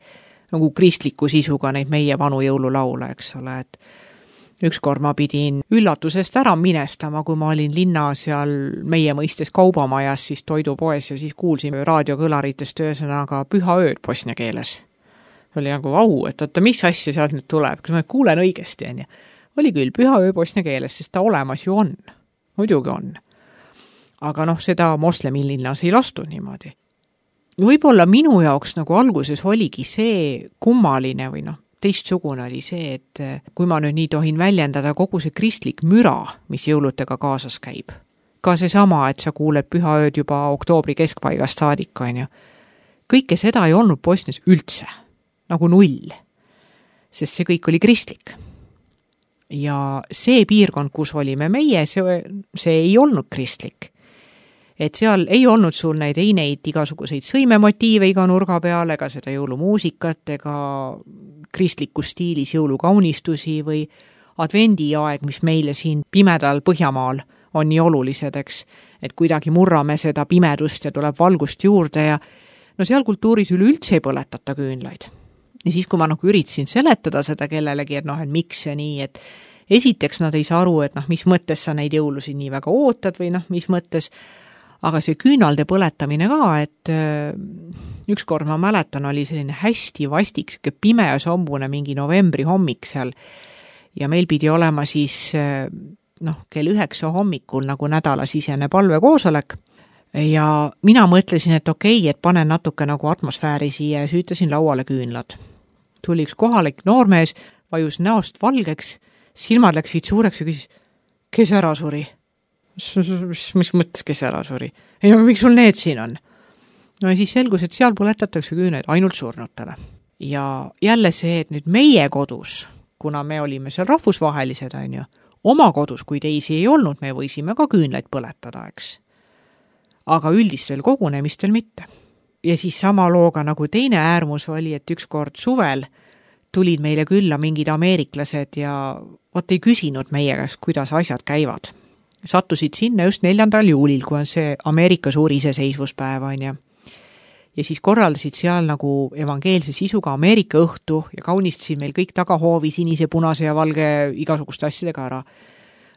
nagu kristliku sisuga neid meie vanu jõululaule, eks ole, et ükskord ma pidin üllatusest ära minestama, kui ma olin linna seal meie mõistes kaubamajas siis toidupoes ja siis kuulsime raadiokõlaritest ühesõnaga püha ööd bosnia keeles. Oli nagu vau, et oota, mis asja sealt nüüd tuleb, kas ma kuulen õigesti, on ja? Oli küll püha öö bosnia keeles, sest ta olemas ju on. Muidugi on. Aga noh, seda moslemi linnas ei lastud niimoodi. Võib-olla minu jaoks nagu alguses oligi see kummaline või noh, teistsugune oli see, et kui ma nüüd nii tohin väljendada kogu see kristlik müra, mis jõulutega kaasas käib. Ka see sama, et sa kuuled püha ööd juba oktoobri keskpaigast saadik, on ju. Kõike seda ei olnud Bosnias üldse. Nagu null, sest see kõik oli kristlik. Ja see piirkond, kus olime meie, see, see ei olnud kristlik. Et seal ei olnud sul neid ei neid igasuguseid sõimemotiive iga nurga peale, ega seda jõulumuusikat, ega kristliku stiilis jõulukaunistusi või advendiaeg, mis meile siin pimedal Põhjamaal on nii olulised, eks, et kuidagi murrame seda pimedust ja tuleb valgust juurde ja no seal kultuuris üleüldse ei põletata küünlaid. Ja siis, kui ma nagu üritasin seletada seda kellelegi, et noh, et miks see nii, et esiteks nad ei saa aru, et noh, mis mõttes sa neid jõulusid nii väga ootad või noh, mis mõttes, aga see küünalde põletamine ka, et äh, ükskord ma mäletan, oli selline hästi vastik, siuke pime ja sombune mingi novembri hommik seal ja meil pidi olema siis äh, noh, kell üheksa hommikul nagu nädalasisene palvekoosolek. Ja mina mõtlesin, et okei, et panen natuke nagu atmosfääri siia ja süütasin lauale küünlad. Tuli üks kohalik noormees, vajus näost valgeks, silmad läksid suureks ja küsis, kes ära suri? Mis, mis mõttes, kes ära suri? Ei no, miks sul need siin on? No ja siis selgus, et seal põletatakse küünlaid ainult surnutele. Ja jälle see, et nüüd meie kodus, kuna me olime seal rahvusvahelised, on ju, oma kodus, kui teisi ei olnud, me võisime ka küünlaid põletada, eks. Aga üldistel kogunemistel mitte. Ja siis sama looga nagu teine äärmus oli, et ükskord suvel tulid meile külla mingid ameeriklased ja vot ei küsinud meie käest, kuidas asjad käivad. Sattusid sinna just neljandal juulil, kui on see Ameerika suur iseseisvuspäev, on ja. Ja siis korraldasid seal nagu evangeelse sisuga Ameerika õhtu ja kaunistasid meil kõik tagahoovi sinise, punase ja valge igasuguste asjadega ära.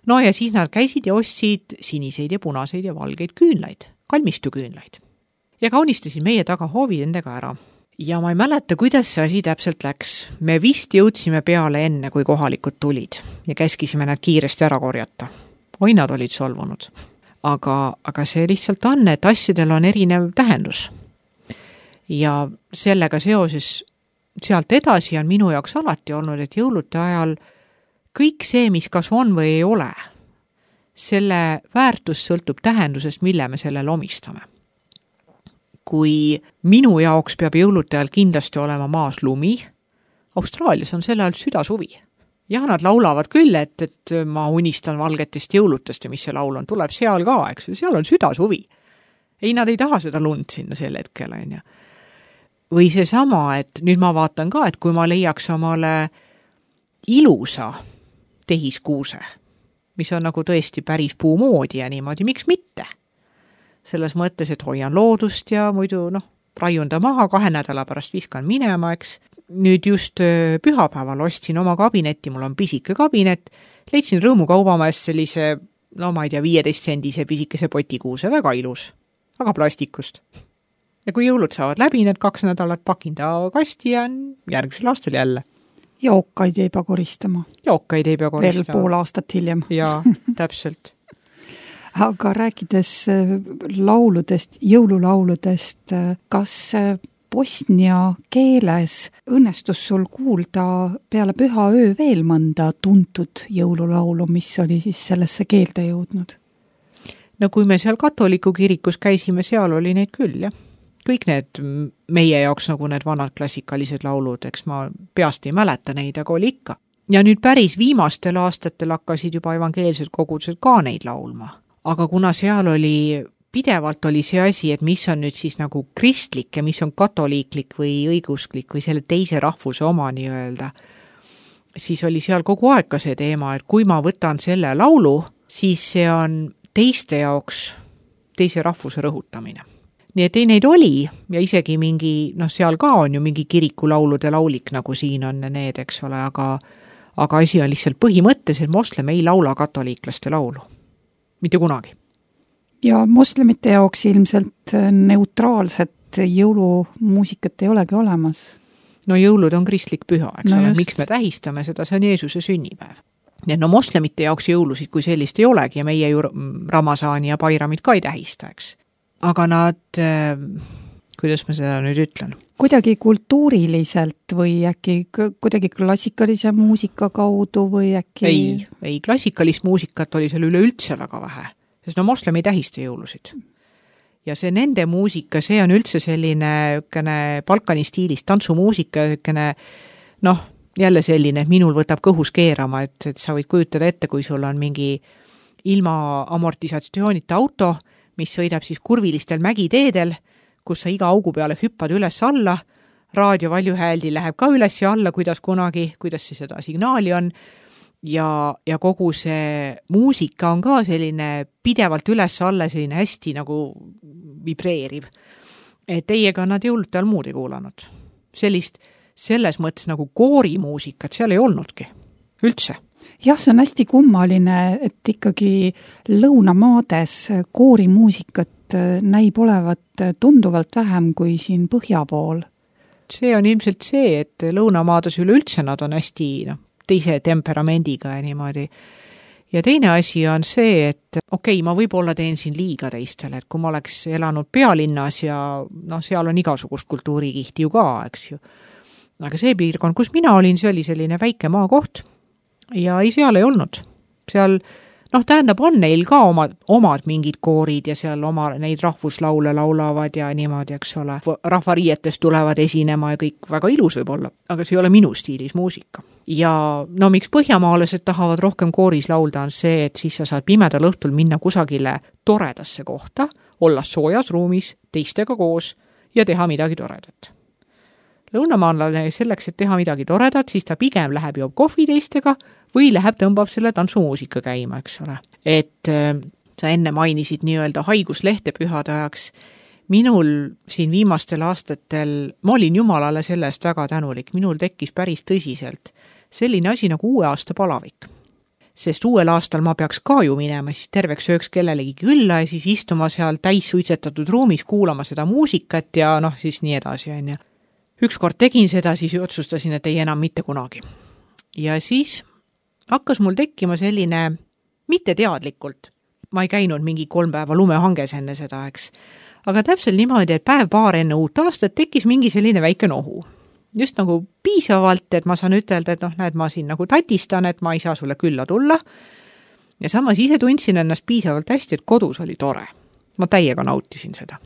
No ja siis nad käisid ja ostsid siniseid ja punaseid ja valgeid küünlaid, kalmistu küünlaid. Ja kaunistasid meie tagahoovi nendega ära. Ja ma ei mäleta, kuidas see asi täpselt läks. Me vist jõudsime peale enne, kui kohalikud tulid ja käskisime nad kiiresti ära korjata. Oi, nad olid solvunud. Aga, aga see lihtsalt on, et asjadel on erinev tähendus. Ja sellega seoses sealt edasi on minu jaoks alati olnud, et jõulude ajal kõik see, mis kas on või ei ole, selle väärtus sõltub tähendusest, mille me sellele omistame. Kui minu jaoks peab jõulude ajal kindlasti olema maas lumi, Austraalias on selle ajal südasuvi. Ja nad laulavad küll, et, et ma unistan valgetest jõulutest ja mis see laul on, tuleb seal ka, eks, seal on südasuvi. Ei, nad ei taha seda lund sinna sel hetkel, on ju. Või see sama, et nüüd ma vaatan ka, et kui ma leiaks omale ilusa tehiskuuse, mis on nagu tõesti päris puumoodi ja niimoodi, miks mitte? Selles mõttes, et hoian loodust ja muidu, noh, raiun ta maha, kahe nädala pärast viskan minema, eks. Nüüd just pühapäeval ostsin oma kabinetti, mul on pisike kabinet, leidsin rõõmukaubamaast sellise, no ma ei tea, viieteist sendise pisikese potikuuse, väga ilus, aga plastikust. Ja kui jõulud saavad läbi, need kaks nädalat pakin ta kasti ja järgmisel aastal jälle.
Ja okkaid ei pea koristama.
Ja okkaid ei pea koristama.
Veel pool aastat hiljem.
Jaa, täpselt.
Aga rääkides lauludest, jõululauludest, kas bosnia keeles õnnestus sul kuulda peale püha öö veel mõnda tuntud jõululaulu, mis oli siis sellesse keelde jõudnud?
No kui me seal katoliku kirikus käisime, seal oli neid küll, jah. Kõik need meie jaoks nagu need vanad klassikalised laulud, eks ma peast ei mäleta neid, aga oli ikka. Ja nüüd päris viimastel aastatel hakkasid juba evangeelsed kogudused ka neid laulma. Aga kuna seal oli pidevalt oli see asi, et mis on nüüd siis nagu kristlik ja mis on katoliiklik või õigusklik või selle teise rahvuse oma nii öelda, siis oli seal kogu aeg ka see teema, et kui ma võtan selle laulu, siis see on teiste jaoks teise rahvuse rõhutamine. Nii et ei neid oli ja isegi mingi, noh seal ka on ju mingi kirikulaulude laulik, nagu siin on need, eks ole, aga, aga asi on lihtsalt põhimõttes, et moslem ei laula katoliiklaste laulu. Mitte kunagi.
Ja moslemite jaoks ilmselt neutraalset jõulumuusikat ei olegi olemas.
No jõulud on kristlik püha, eks
no
ole, miks me tähistame seda, see on Jeesuse sünnipäev. Nii et no moslemite jaoks jõulusid kui sellist ei olegi ja meie ju Ramasaani ja Bairamid ka ei tähista, eks. Aga nad, kuidas ma seda nüüd ütlen?
Kuidagi kultuuriliselt või äkki kuidagi klassikalise muusika kaudu või äkki...
Ei, ei klassikalist muusikat oli seal üleüldse väga vähe. Sest no moslem ei tähista jõulusid. Ja see nende muusika, see on üldse selline ükene Balkani stiilis tantsumuusika, ükene, noh, jälle selline, et minul võtab kõhus keerama, et, et sa võid kujutada ette, kui sul on mingi ilma amortisatsioonita auto, mis sõidab siis kurvilistel mägiteedel, kus sa iga augu peale hüppad üles alla, raadio valjuhääldi läheb ka üles ja alla, kuidas kunagi, kuidas see seda signaali on, Ja, ja kogu see muusika on ka selline pidevalt üles alla, selline hästi nagu vibreeriv. Et teiega nad jõulude all muud ei kuulanud. Sellist, selles mõttes nagu koorimuusikat seal ei olnudki. Üldse.
Jah, see on hästi kummaline, et ikkagi lõunamaades koorimuusikat näib olevat tunduvalt vähem kui siin põhja pool.
See on ilmselt see, et lõunamaades üleüldse nad on hästi, noh, teise temperamendiga ja niimoodi. Ja teine asi on see, et okei, okay, ma võib-olla teen siin liiga teistele, et kui ma oleks elanud pealinnas ja noh, seal on igasugust kultuurikihti ju ka, eks ju. Aga see piirkond, kus mina olin, see oli selline väike maakoht ja ei, seal ei olnud. Seal, noh, tähendab, on neil ka omad, omad mingid koorid ja seal oma neid rahvuslaule laulavad ja niimoodi, eks ole. Rahvariietest tulevad esinema ja kõik väga ilus võib olla, aga see ei ole minu stiilis muusika. Ja no miks põhjamaalased tahavad rohkem kooris laulda on see, et siis sa saad pimedal õhtul minna kusagile toredasse kohta, olla soojas ruumis, teistega koos ja teha midagi toredat. Lõunamaalane selleks, et teha midagi toredat, siis ta pigem läheb joob kohvi teistega või läheb tõmbab selle tantsumuusika käima, eks ole. Et äh, sa enne mainisid nii-öelda haiguslehte pühade ajaks. Minul siin viimastel aastatel, ma olin Jumalale selle eest väga tänulik, minul tekkis päris tõsiselt selline asi nagu uue aasta palavik. Sest uuel aastal ma peaks ka ju minema, siis terveks ööks kellelegi külla ja siis istuma seal täis suitsetatud ruumis, kuulama seda muusikat ja noh, siis nii edasi on ja. Ükskord tegin seda, siis otsustasin, et ei enam mitte kunagi. Ja siis hakkas mul tekkima selline, mitte teadlikult, ma ei käinud mingi kolm päeva lumehanges enne seda, eks, aga täpselt niimoodi, et päev paar enne uut aastat tekkis mingi selline väike nohu. just nagu piisavalt, et ma saan ütelda, et noh, näed, ma siin nagu tatistan, et ma ei saa sulle külla tulla. Ja samas ise tundsin ennast piisavalt hästi, et kodus oli tore. Ma täiega nautisin seda.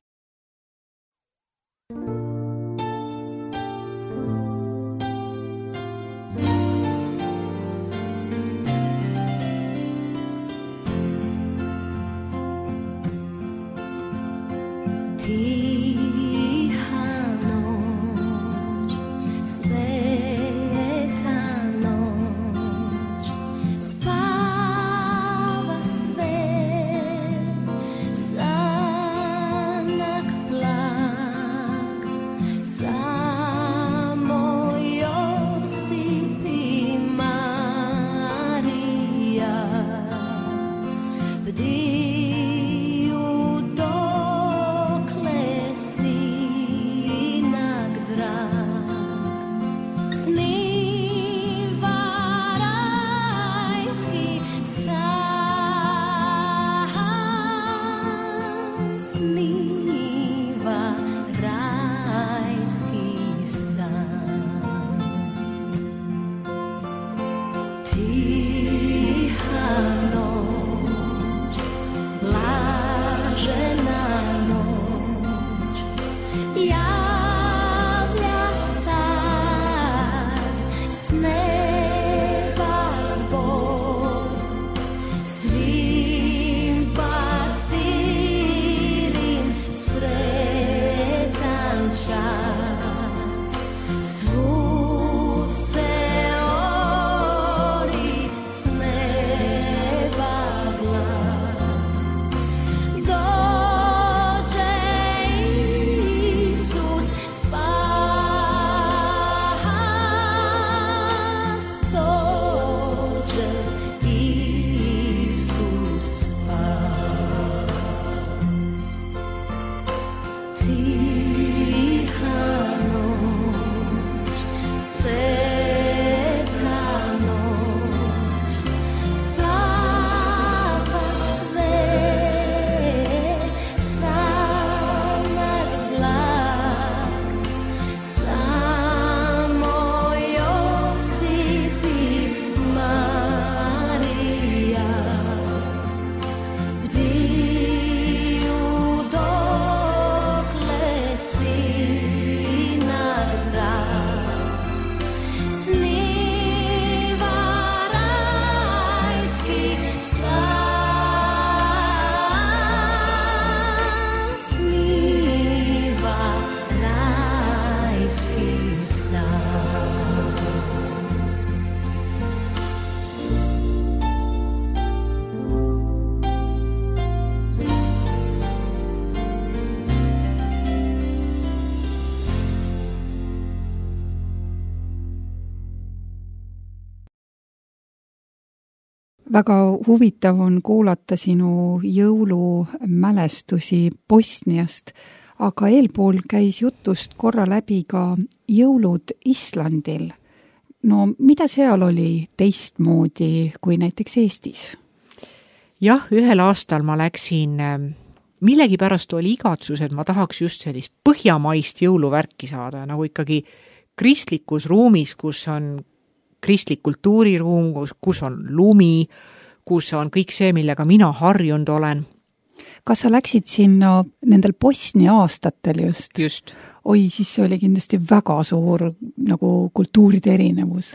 Väga huvitav on kuulata sinu jõulumälestusi Bosniast, aga eelpool käis jutust korra läbi ka jõulud Islandil. No mida seal oli teistmoodi kui näiteks Eestis?
Jah, ühel aastal ma läksin, millegi pärast oli igatsus, et ma tahaks just sellist põhjamaist jõuluvärki saada, nagu ikkagi kristlikus ruumis, kus on kristlik kultuuriruum, kus on lumi, kus on kõik see, millega mina harjunud olen.
Kas sa läksid sinna nendel Bosnia aastatel just?
Just.
Oi, siis see oli kindlasti väga suur nagu kultuuride erinevus.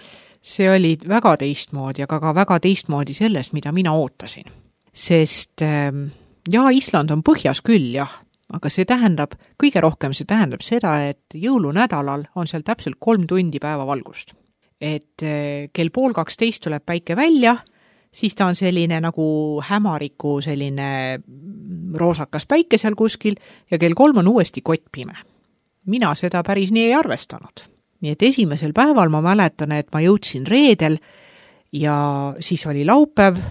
See oli väga teistmoodi, aga ka väga teistmoodi sellest, mida mina ootasin. Sest jaa, Island on põhjas küll, jah, aga see tähendab, kõige rohkem see tähendab seda, et jõulunädalal on seal täpselt kolm tundi päevavalgust. Et kell pool kaksteist tuleb päike välja, siis ta on selline nagu hämariku selline roosakas päike seal kuskil ja kell kolm on uuesti kottpime. Mina seda päris nii ei arvestanud. Nii et esimesel päeval ma mäletan, et ma jõudsin reedel ja siis oli laupäev.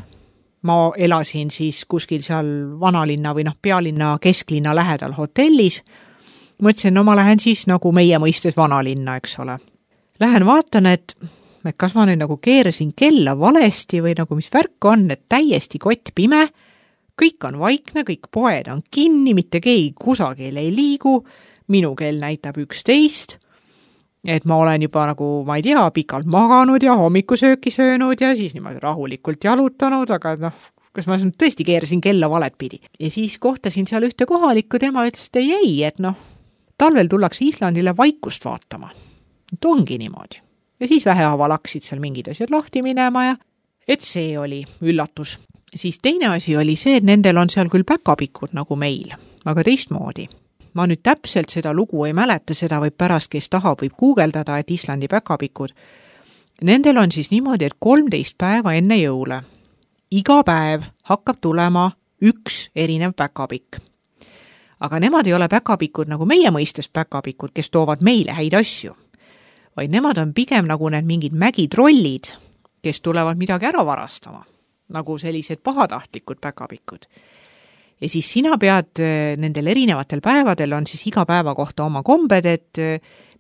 Ma elasin siis kuskil seal vanalinna või noh, pealinna kesklinna lähedal hotellis. Mõtlesin, no ma lähen siis nagu meie mõistes vanalinna, eks ole. Lähen vaatan, et, et kas ma nüüd nagu keerasin kella valesti või nagu mis värk on, et täiesti kott pime, kõik on vaikne, kõik poed on kinni, mitte keegi kusagil ei liigu, minu kell näitab üksteist et ma olen juba nagu, ma ei tea, pikalt maganud ja hommikusööki söönud ja siis niimoodi rahulikult jalutanud, aga noh, kas ma tõesti keerasin kella valet pidi. Ja siis kohtasin seal ühte kohalikku, tema ütles, et ei, ei, et noh, talvel tullakse Islandile vaikust vaatama. Et ongi niimoodi. Ja siis vähehaaval hakkasid seal mingid asjad lahti minema ja et see oli üllatus. Siis teine asi oli see, et nendel on seal küll päkapikud nagu meil, aga teistmoodi. Ma nüüd täpselt seda lugu ei mäleta, seda võib pärast, kes tahab, võib guugeldada, et Islandi päkapikud. Nendel on siis niimoodi, et kolmteist päeva enne jõule. Iga päev hakkab tulema üks erinev päkapikk. Aga nemad ei ole päkapikud nagu meie mõistes päkapikud, kes toovad meile häid asju. Vaid nemad on pigem nagu need mingid mägitrollid, kes tulevad midagi ära varastama. Nagu sellised pahatahtlikud päkapikud. Ja siis sina pead nendel erinevatel päevadel on siis iga päeva kohta oma kombed, et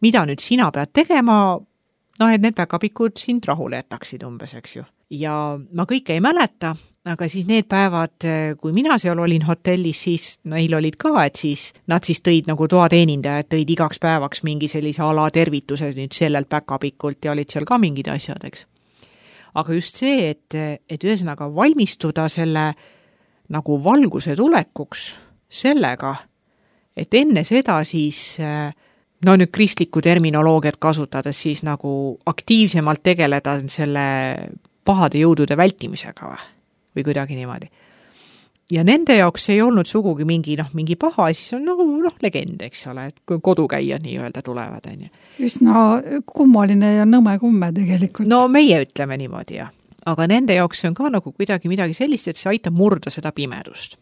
mida nüüd sina pead tegema, noh, et need päkapikud sind rahule jätaksid umbes, eks ju. Ja ma kõike ei mäleta, aga siis need päevad, kui mina seal olin hotellis, siis neil olid ka, et siis nad siis tõid nagu toateenindajad, tõid igaks päevaks mingi sellise ala tervituse nüüd sellelt päkapikult ja olid seal ka mingid asjad, eks. Aga just see, et, et ühesõnaga valmistuda selle nagu valguse tulekuks sellega, et enne seda siis, no nüüd kristlikku terminoloogiat kasutades, siis nagu aktiivsemalt tegeleda selle pahade jõudude vältimisega või, või kuidagi niimoodi. Ja nende jaoks ei olnud sugugi mingi, noh, mingi paha, siis on nagu noh, legend, eks ole, et kui kodukäijad nii-öelda tulevad. On ju.
Üsna kummaline ja nõme kumme tegelikult.
No meie ütleme niimoodi, jah. Aga nende jaoks on ka nagu kuidagi midagi sellist, et see aitab murda seda pimedust.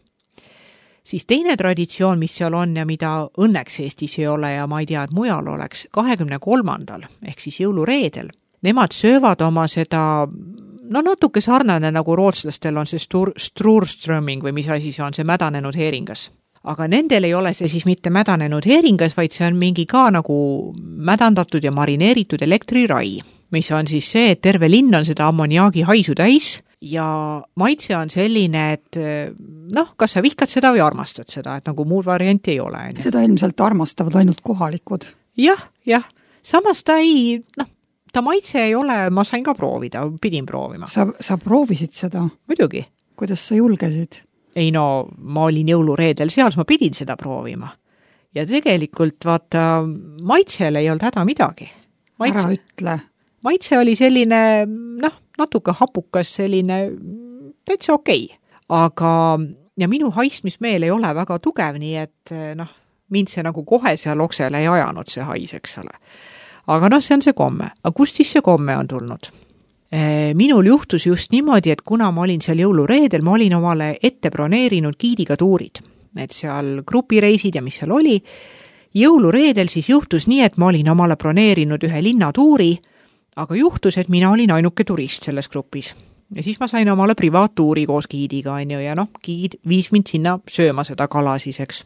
Siis teine traditsioon, mis seal on ja mida õnneks Eestis ei ole ja ma ei tea, et mujal oleks, kahekümne kolmandal ehk siis jõulureedel, nemad söövad oma seda, no natuke sarnane nagu rootslastel on see stur, Sturströmming või mis asi see on, see mädanenud heeringas. Aga nendel ei ole see siis mitte mädanenud heeringas, vaid see on mingi ka nagu mädandatud ja marineeritud elektrirai, mis on siis see, et terve linn on seda ammoniaagi haisu täis ja maitse on selline, et noh, kas sa vihkad seda või armastad seda, et nagu muud varianti ei ole.
Seda ilmselt armastavad ainult kohalikud.
Jah, jah. Samas ta ei, noh, ta maitse ei ole, ma sain ka proovida, pidin proovima.
Sa, sa proovisid seda?
Muidugi.
Kuidas sa julgesid?
Ei no, ma olin jõulureedel seal, ma pidin seda proovima. Ja tegelikult, vaata, maitsele ei olnud häda midagi. Maitse,
ära ütle.
Maitse oli selline, noh, natuke hapukas, selline täitsa okei. Aga, ja minu haistmismeel ei ole väga tugev, nii et, noh, mind see nagu kohe seal oksele ei ajanud see hais, eks ole. Aga noh, see on see komme. Aga kust siis see komme on tulnud? Minul juhtus just niimoodi, et kuna ma olin seal jõulureedel, ma olin omale ette broneerinud giidiga tuurid. Et seal grupireisid ja mis seal oli. Jõulureedel siis juhtus nii, et ma olin omale broneerinud ühe linnatuuri, aga juhtus, et mina olin ainuke turist selles grupis. Ja siis ma sain omale privaattuuri koos giidiga, on ju, ja noh, giid viis mind sinna sööma seda kala siis, eks.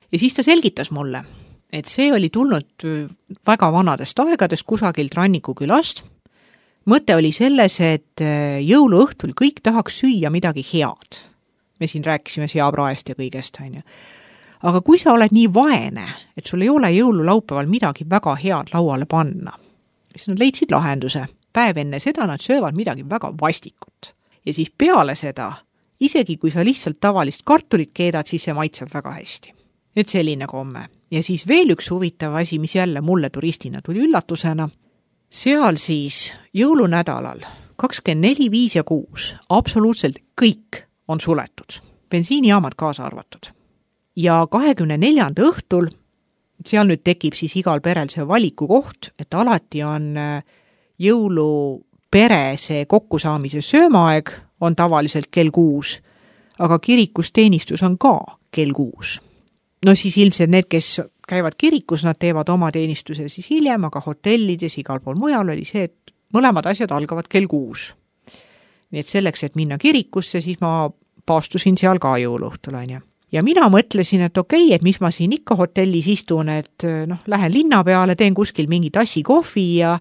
Ja siis ta selgitas mulle, et see oli tulnud väga vanadest aegadest kusagilt Rannikukülast. Mõte oli selles, et jõuluõhtul kõik tahaks süüa midagi head. Me siin rääkisime seapraest ja kõigest, on ju. Aga kui sa oled nii vaene, et sul ei ole jõululaupäeval midagi väga head lauale panna, siis nad leidsid lahenduse. Päev enne seda nad söövad midagi väga vastikut. Ja siis peale seda, isegi kui sa lihtsalt tavalist kartulit keedad, siis see maitseb väga hästi. Et selline komme. Ja siis veel üks huvitav asi, mis jälle mulle turistina tuli üllatusena. Seal siis jõulunädalal kakskümmend neli, viis ja kuus absoluutselt kõik on suletud. Bensiinijaamad kaasa arvatud. Ja kahekümne neljanda õhtul, seal nüüd tekib siis igal perel see valiku koht, et alati on jõulupere see kokkusaamise söömaaeg on tavaliselt kell kuus, aga kirikusteenistus on ka kell kuus. No siis ilmselt need, kes käivad kirikus, nad teevad oma teenistuse siis hiljem, aga hotellides igal pool mujal oli see, et mõlemad asjad algavad kell kuus. Nii et selleks, et minna kirikusse, siis ma paastusin seal ka jõuluõhtul, on ju. Ja mina mõtlesin, et okei, okay, et mis ma siin ikka hotellis istun, et noh, lähen linna peale, teen kuskil mingi tassi kohvi ja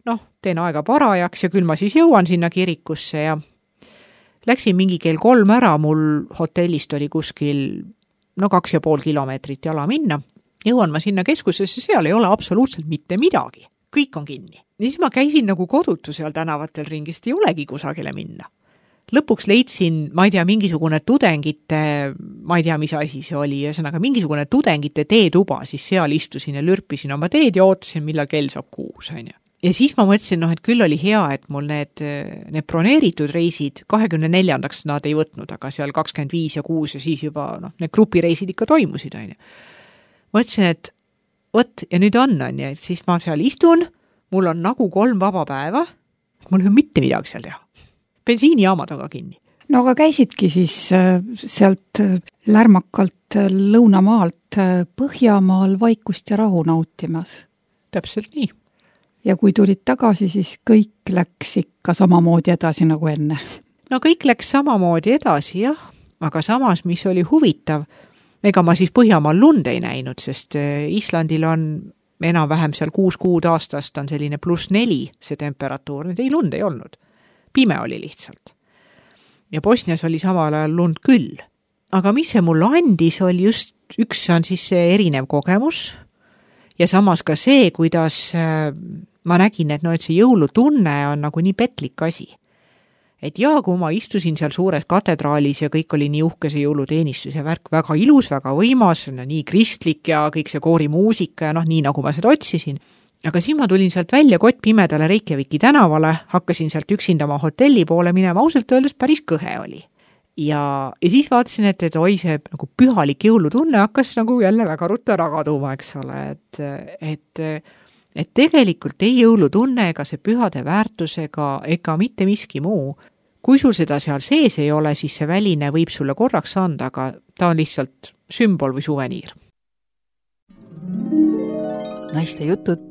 noh, teen aega parajaks ja küll ma siis jõuan sinna kirikusse ja läksin mingi kell kolm ära, mul hotellist oli kuskil no kaks ja pool kilomeetrit jala minna jõuan ma sinna keskusesse, seal ei ole absoluutselt mitte midagi. Kõik on kinni. Ja siis ma käisin nagu kodutu seal tänavatel ringist, ei olegi kusagile minna. Lõpuks leidsin, ma ei tea, mingisugune tudengite, ma ei tea, mis asi see oli, ühesõnaga mingisugune tudengite teetuba, siis seal istusin ja lürpisin oma teed ja ootasin, millal kell saab kuus. Ja siis ma mõtlesin, noh, et küll oli hea, et mul need, need broneeritud reisid kahekümne neljandaks nad ei võtnud, aga seal kakskümmend viis ja kuus ja siis juba noh, need grupireisid ikka toimusid. Mõtlesin, et võt, ja nüüd on, on ja, et siis ma seal istun, mul on nagu kolm vaba päeva, mul ei ole mitte midagi seal teha. Bensiinijaamad on ka kinni.
No aga käisidki siis sealt lärmakalt lõunamaalt Põhjamaal vaikust ja rahu nautimas.
Täpselt nii.
Ja kui tulid tagasi, siis kõik läks ikka samamoodi edasi nagu enne.
No kõik läks samamoodi edasi, jah, aga samas, mis oli huvitav, ega ma siis Põhjamaal lund ei näinud, sest Islandil on enam-vähem seal kuus kuud aastast on selline pluss neli see temperatuur, nüüd ei lund ei olnud. Pime oli lihtsalt. Ja Bosnias oli samal ajal lund küll. Aga mis see mulle andis, oli just, üks on siis see erinev kogemus ja samas ka see, kuidas ma nägin, et, no, et see jõulutunne on nagu nii petlik asi. Et jaa, kui ma istusin seal suures katedraalis ja kõik oli nii uhke see jõuluteenistus ja värk väga ilus, väga võimas, no, nii kristlik ja kõik see koorimuusika ja noh, nii nagu ma seda otsisin. Aga siis ma tulin sealt välja kott pimedale Reykjaviki tänavale, hakkasin sealt üksinda oma hotelli poole minema, ausalt öeldes päris kõhe oli. Ja, ja siis vaatasin, et, et oi, see nagu pühalik jõulutunne hakkas nagu jälle väga ruttu ära kaduma, eks ole, et, et, et tegelikult ei jõulutunne ega see pühade väärtusega ega mitte miski muu. Kui sul seda seal sees ei ole, siis see väline võib sulle korraks anda, aga ta on lihtsalt sümbol või suveniir.
Naiste jutud.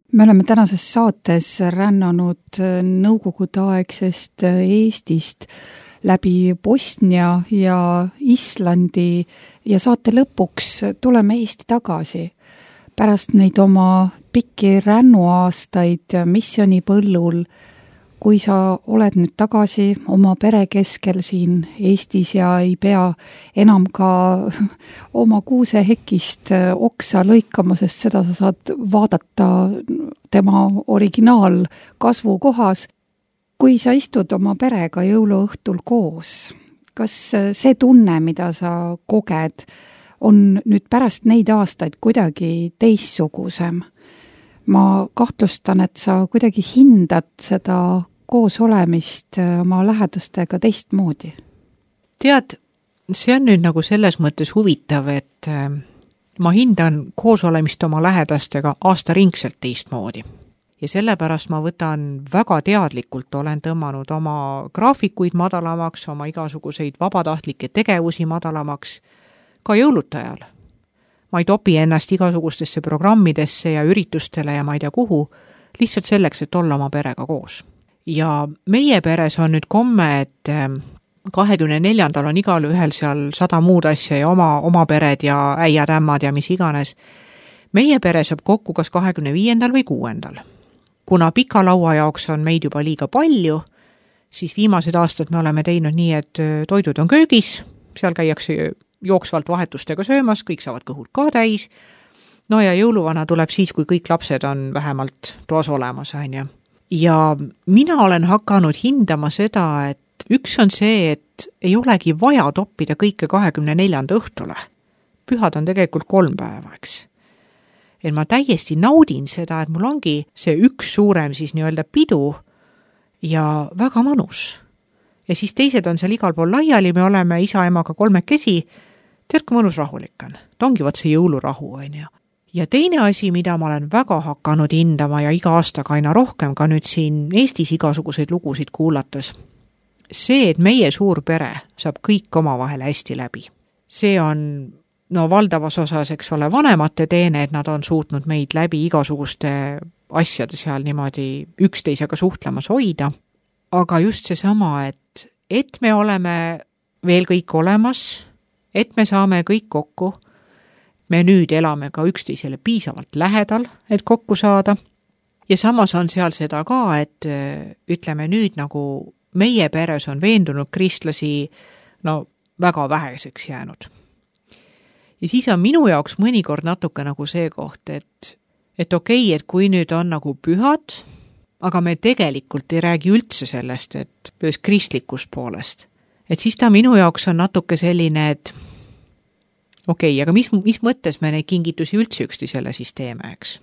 Me oleme tänases saates rännanud nõukogudeaegsest Eestist läbi Bosnia ja Islandi ja saate lõpuks tuleme Eesti tagasi. Pärast neid oma pikki rännuaastaid missionipõllul, kui sa oled nüüd tagasi oma pere keskel siin Eestis ja ei pea enam ka oma kuusehekist oksa lõikama, sest seda sa saad vaadata tema originaal kasvukohas. Kui sa istud oma perega jõuluõhtul koos, kas see tunne, mida sa koged, on nüüd pärast neid aastaid kuidagi teissugusem? Ma kahtlustan, et sa kuidagi hindad seda koos olemist oma lähedastega teistmoodi.
Tead, see on nüüd nagu selles mõttes huvitav, et ma hindan koos olemist oma lähedastega aastaringselt teistmoodi. Ja sellepärast ma võtan väga teadlikult, olen tõmmanud oma graafikuid madalamaks, oma igasuguseid vabatahtlikke tegevusi madalamaks, ka jõulutajal. Ma ei topi ennast igasugustesse programmidesse ja üritustele ja ma ei tea kuhu, lihtsalt selleks, et olla oma perega koos. Ja meie peres on nüüd komme, et kahekümne neljandal on igal ühel seal sada muud asja ja oma, oma pered ja äiad, ämmad ja mis iganes. Meie pere saab kokku kas kahekümne viiendal või kuuendal. Kuna pika laua jaoks on meid juba liiga palju, siis viimased aastad me oleme teinud nii, et toidud on köögis, seal käiakse jooksvalt vahetustega söömas, kõik saavad kõhud ka täis. No ja jõuluvana tuleb siis, kui kõik lapsed on vähemalt toas olemas. Ja, ja mina olen hakanud hindama seda, et üks on see, et ei olegi vaja toppida kõike kahekümne neljanda õhtule. Pühad on tegelikult kolm päeva, eks. Et ma täiesti naudin seda, et mul ongi see üks suurem siis nii-öelda pidu ja väga mõnus. Ja siis teised on seal igal pool laiali, me oleme isa emaga kolmekesi, tead, kui mõnus rahulik on. Ta ongi vaat see jõulurahu, on ju. Ja teine asi, mida ma olen väga hakanud hindama ja iga aastaga aina rohkem ka nüüd siin Eestis igasuguseid lugusid kuulates, see, et meie suur pere saab kõik omavahel hästi läbi. See on, no valdavas osas, eks ole, vanemate teene, et nad on suutnud meid läbi igasuguste asjade seal niimoodi üksteisega suhtlemas hoida. Aga just seesama, et, et me oleme veel kõik olemas, et me saame kõik kokku, me nüüd elame ka üksteisele piisavalt lähedal, et kokku saada. Ja samas on seal seda ka, et ütleme nüüd nagu meie peres on veendunud kristlasi, no väga väheseks jäänud. Ja siis on minu jaoks mõnikord natuke nagu see koht, et, et okei, okay, et kui nüüd on nagu pühad, aga me tegelikult ei räägi üldse sellest, et kristlikust poolest. Et siis ta minu jaoks on natuke selline, et okei, okay, aga mis, mis mõttes me neid kingitusi üldse üksteisele siis teeme, eks?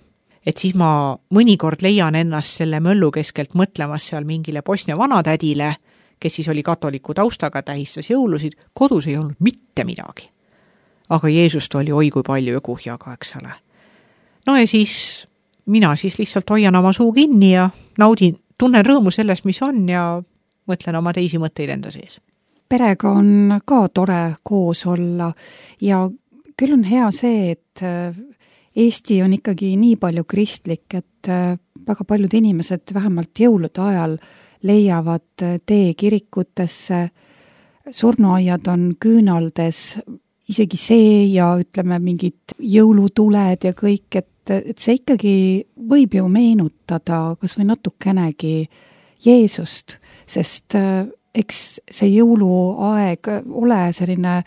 Et siis ma mõnikord leian ennast selle möllu keskelt mõtlemas seal mingile Bosnia vanatädile, kes siis oli katoliku taustaga, tähistas jõulusid, kodus ei olnud mitte midagi. Aga Jeesust oli oi kui palju ja kuhjaga, eks ole. No ja siis mina siis lihtsalt hoian oma suu kinni ja naudin, tunnen rõõmu sellest, mis on ja mõtlen oma teisi mõtteid enda sees.
Perega on ka tore koos olla ja küll on hea see, et Eesti on ikkagi nii palju kristlik, et väga paljud inimesed vähemalt jõulude ajal leiavad tee kirikutesse, surnuaiad on küünaldes, isegi see ja ütleme mingid jõulutuled ja kõik, et, et see ikkagi võib ju meenutada kas või natukenegi Jeesust, sest eks see jõuluaeg ole selline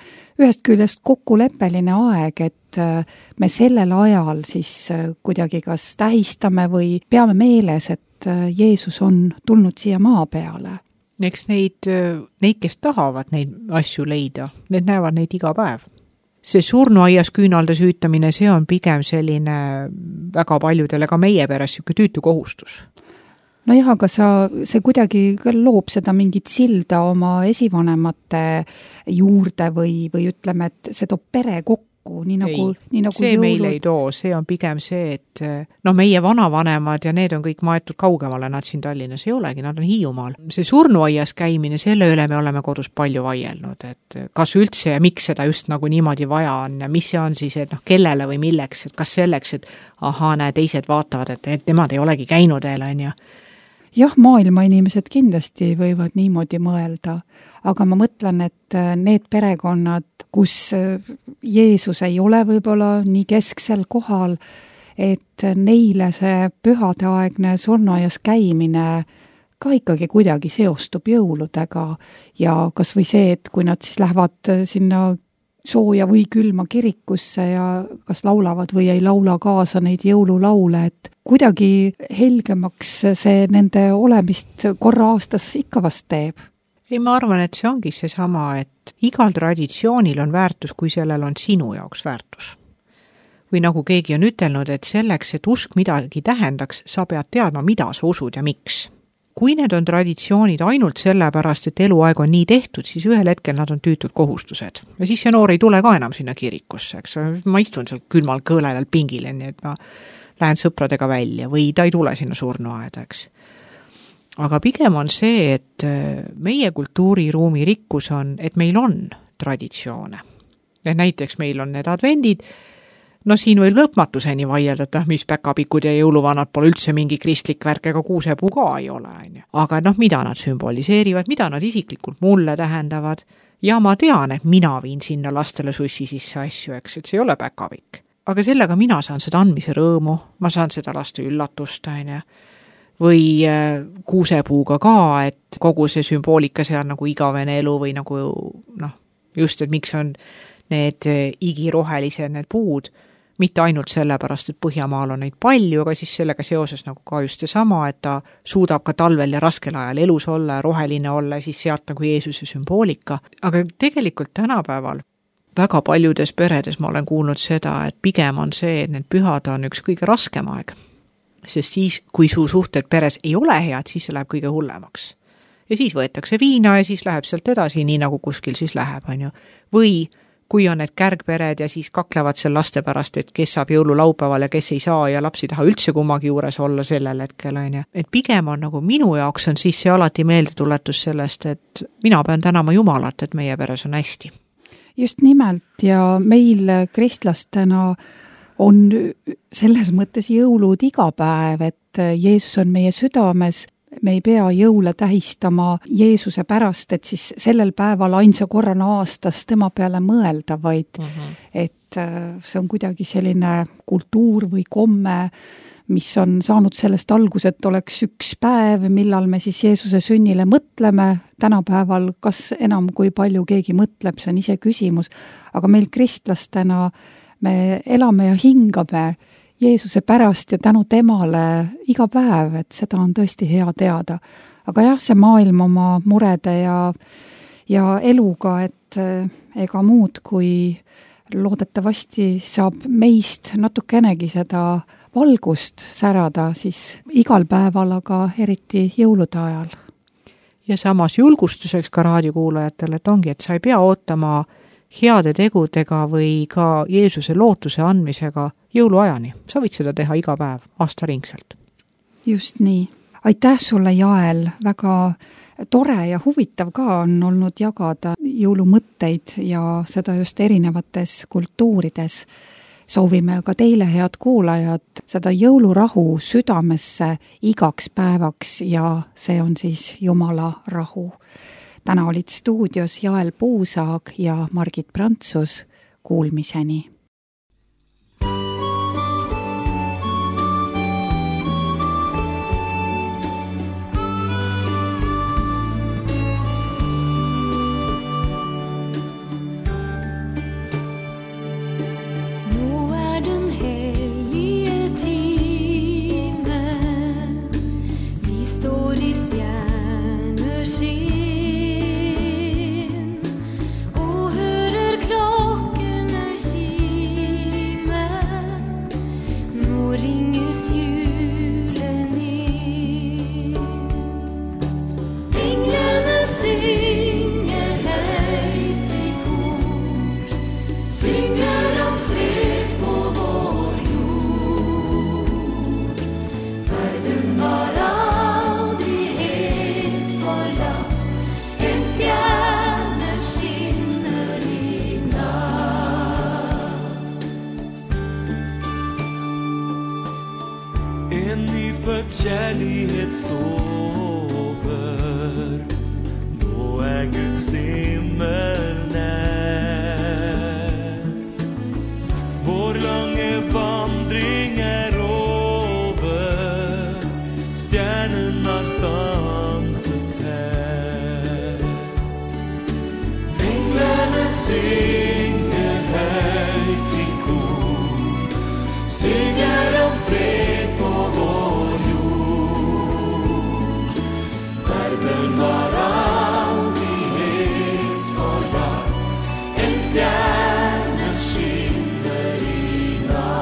ühest küljest kokkuleppeline aeg, et me sellel ajal siis kuidagi kas tähistame või peame meeles, et Jeesus on tulnud siia maa peale.
Eks neid, neid, kes tahavad neid asju leida, need näevad neid iga päev. See surnuaias küünalde süütamine, see on pigem selline väga paljudele ka meie peres siuke tüütu kohustus.
No jah, aga sa, see kuidagi loob seda mingit silda oma esivanemate juurde või, või ütleme, et see toob pere kokku, nii nagu, nii nagu
see
jõulud.
Meil ei too, see on pigem see, et no meie vanavanemad ja need on kõik maetud kaugemale, nad siin Tallinnas ei olegi, nad on Hiiumaal. See surnuaias käimine, selle üle me oleme kodus palju vaielnud, et kas üldse ja miks seda just nagu niimoodi vaja on ja mis see on siis, et noh, kellele või milleks, et kas selleks, et aha, näe, teised vaatavad, et, et nemad ei olegi käinud veel, on ju.
Jah, maailma inimesed kindlasti võivad niimoodi mõelda, aga ma mõtlen, et need perekonnad, kus Jeesus ei ole võib-olla nii kesksel kohal, et neile see pühadeaegne surnuaias käimine ka ikkagi kuidagi seostub jõuludega ja kas või see, et kui nad siis lähevad sinna sooja või külma kirikusse ja kas laulavad või ei laula kaasa neid jõululaule, et kuidagi helgemaks see nende olemist korra aastas ikka vast teeb.
Ei, ma arvan, et see ongi see sama, et igal traditsioonil on väärtus, kui sellel on sinu jaoks väärtus. Või nagu keegi on ütelnud, et selleks, et usk midagi tähendaks, sa pead teadma, mida sa usud ja miks. Kui need on traditsioonid ainult sellepärast, et eluaeg on nii tehtud, siis ühel hetkel nad on tüütud kohustused. Ja siis see noor ei tule ka enam sinna kirikusse, eks ma istun seal külmal kõõledal pingil, nii et ma lähen sõpradega välja või ta ei tule sinna surnuaeda, eks. Aga pigem on see, et meie kultuuriruumi rikkus on, et meil on traditsioone. Ja näiteks meil on need advendid, no siin võib lõpmatuseni vaielda, et mis päkapikud ja jõuluvanad pole üldse mingi kristlik värk, ega kuusepuu ka ei ole. Aga noh, mida nad sümboliseerivad, mida nad isiklikult mulle tähendavad ja ma tean, et mina viin sinna lastele sussi sisse asju, eks, et see ei ole päkapikk. Aga sellega mina saan seda andmise rõõmu, ma saan seda laste üllatust, aine. Või kuusepuuga ka, et kogu see sümboolika seal nagu igavene elu või nagu noh, just, et miks on need igirohelised need puud, mitte ainult sellepärast, et Põhjamaal on neid palju, aga siis sellega seoses nagu ka just seesama, et ta suudab ka talvel ja raskel ajal elus olla ja roheline olla ja siis sealt nagu Jeesuse sümboolika. Aga tegelikult tänapäeval väga paljudes peredes ma olen kuulnud seda, et pigem on see, et need pühad on üks kõige raskem aeg. Sest siis, kui su suhted peres ei ole head, siis see läheb kõige hullemaks. Ja siis võetakse viina ja siis läheb sealt edasi, nii nagu kuskil siis läheb, on ju. Või kui on need kärgpered ja siis kaklevad seal laste pärast, et kes saab jõululaupäeval ja kes ei saa ja laps ei taha üldse kummagi juures olla sellel hetkel, on ju. Et pigem on nagu minu jaoks on siis see alati meeldetuletus sellest, et mina pean tänama Jumalat, et meie peres on hästi.
Just nimelt ja meil kristlastena on selles mõttes jõulud iga päev, et Jeesus on meie südames. Me ei pea jõule tähistama Jeesuse pärast, et siis sellel päeval ainsa korrana aastas tema peale mõelda, vaid uh-huh. et see on kuidagi selline kultuur või komme, mis on saanud sellest alguse, et oleks üks päev, millal me siis Jeesuse sünnile mõtleme. Tänapäeval kas enam kui palju keegi mõtleb, see on ise küsimus, aga meil kristlastena me elame ja hingame Jeesuse pärast ja tänu temale iga päev, et seda on tõesti hea teada. Aga jah, see maailm oma murede ja, ja eluga, et ega muud kui loodetavasti saab meist natukenegi seda valgust särada siis igal päeval, aga eriti jõulude ajal.
Ja samas julgustuseks ka raadiokuulajatele, et ongi, et sa ei pea ootama heade tegudega või ka Jeesuse lootuse andmisega jõuluajani. Sa võid seda teha iga päev, aastaringselt.
Just nii. Aitäh sulle, Jael. Väga tore ja huvitav ka on olnud jagada jõulumõtteid ja seda just erinevates kultuurides. Soovime ka teile, head kuulajad, seda jõulurahu südamesse igaks päevaks ja see on siis Jumala rahu. Täna olid stuudios Jael Puusaag ja Margit Prantsus. Kuulmiseni!
Kärlighet sover, då är Guds himmel när. Vår långa vandring är över, stjärnorna stanset här. Änglarna synger högt i kor, synger om fred på vår. Den var aldrig helt forlatt, en stjärna skiner i natt.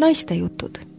Naistejutud.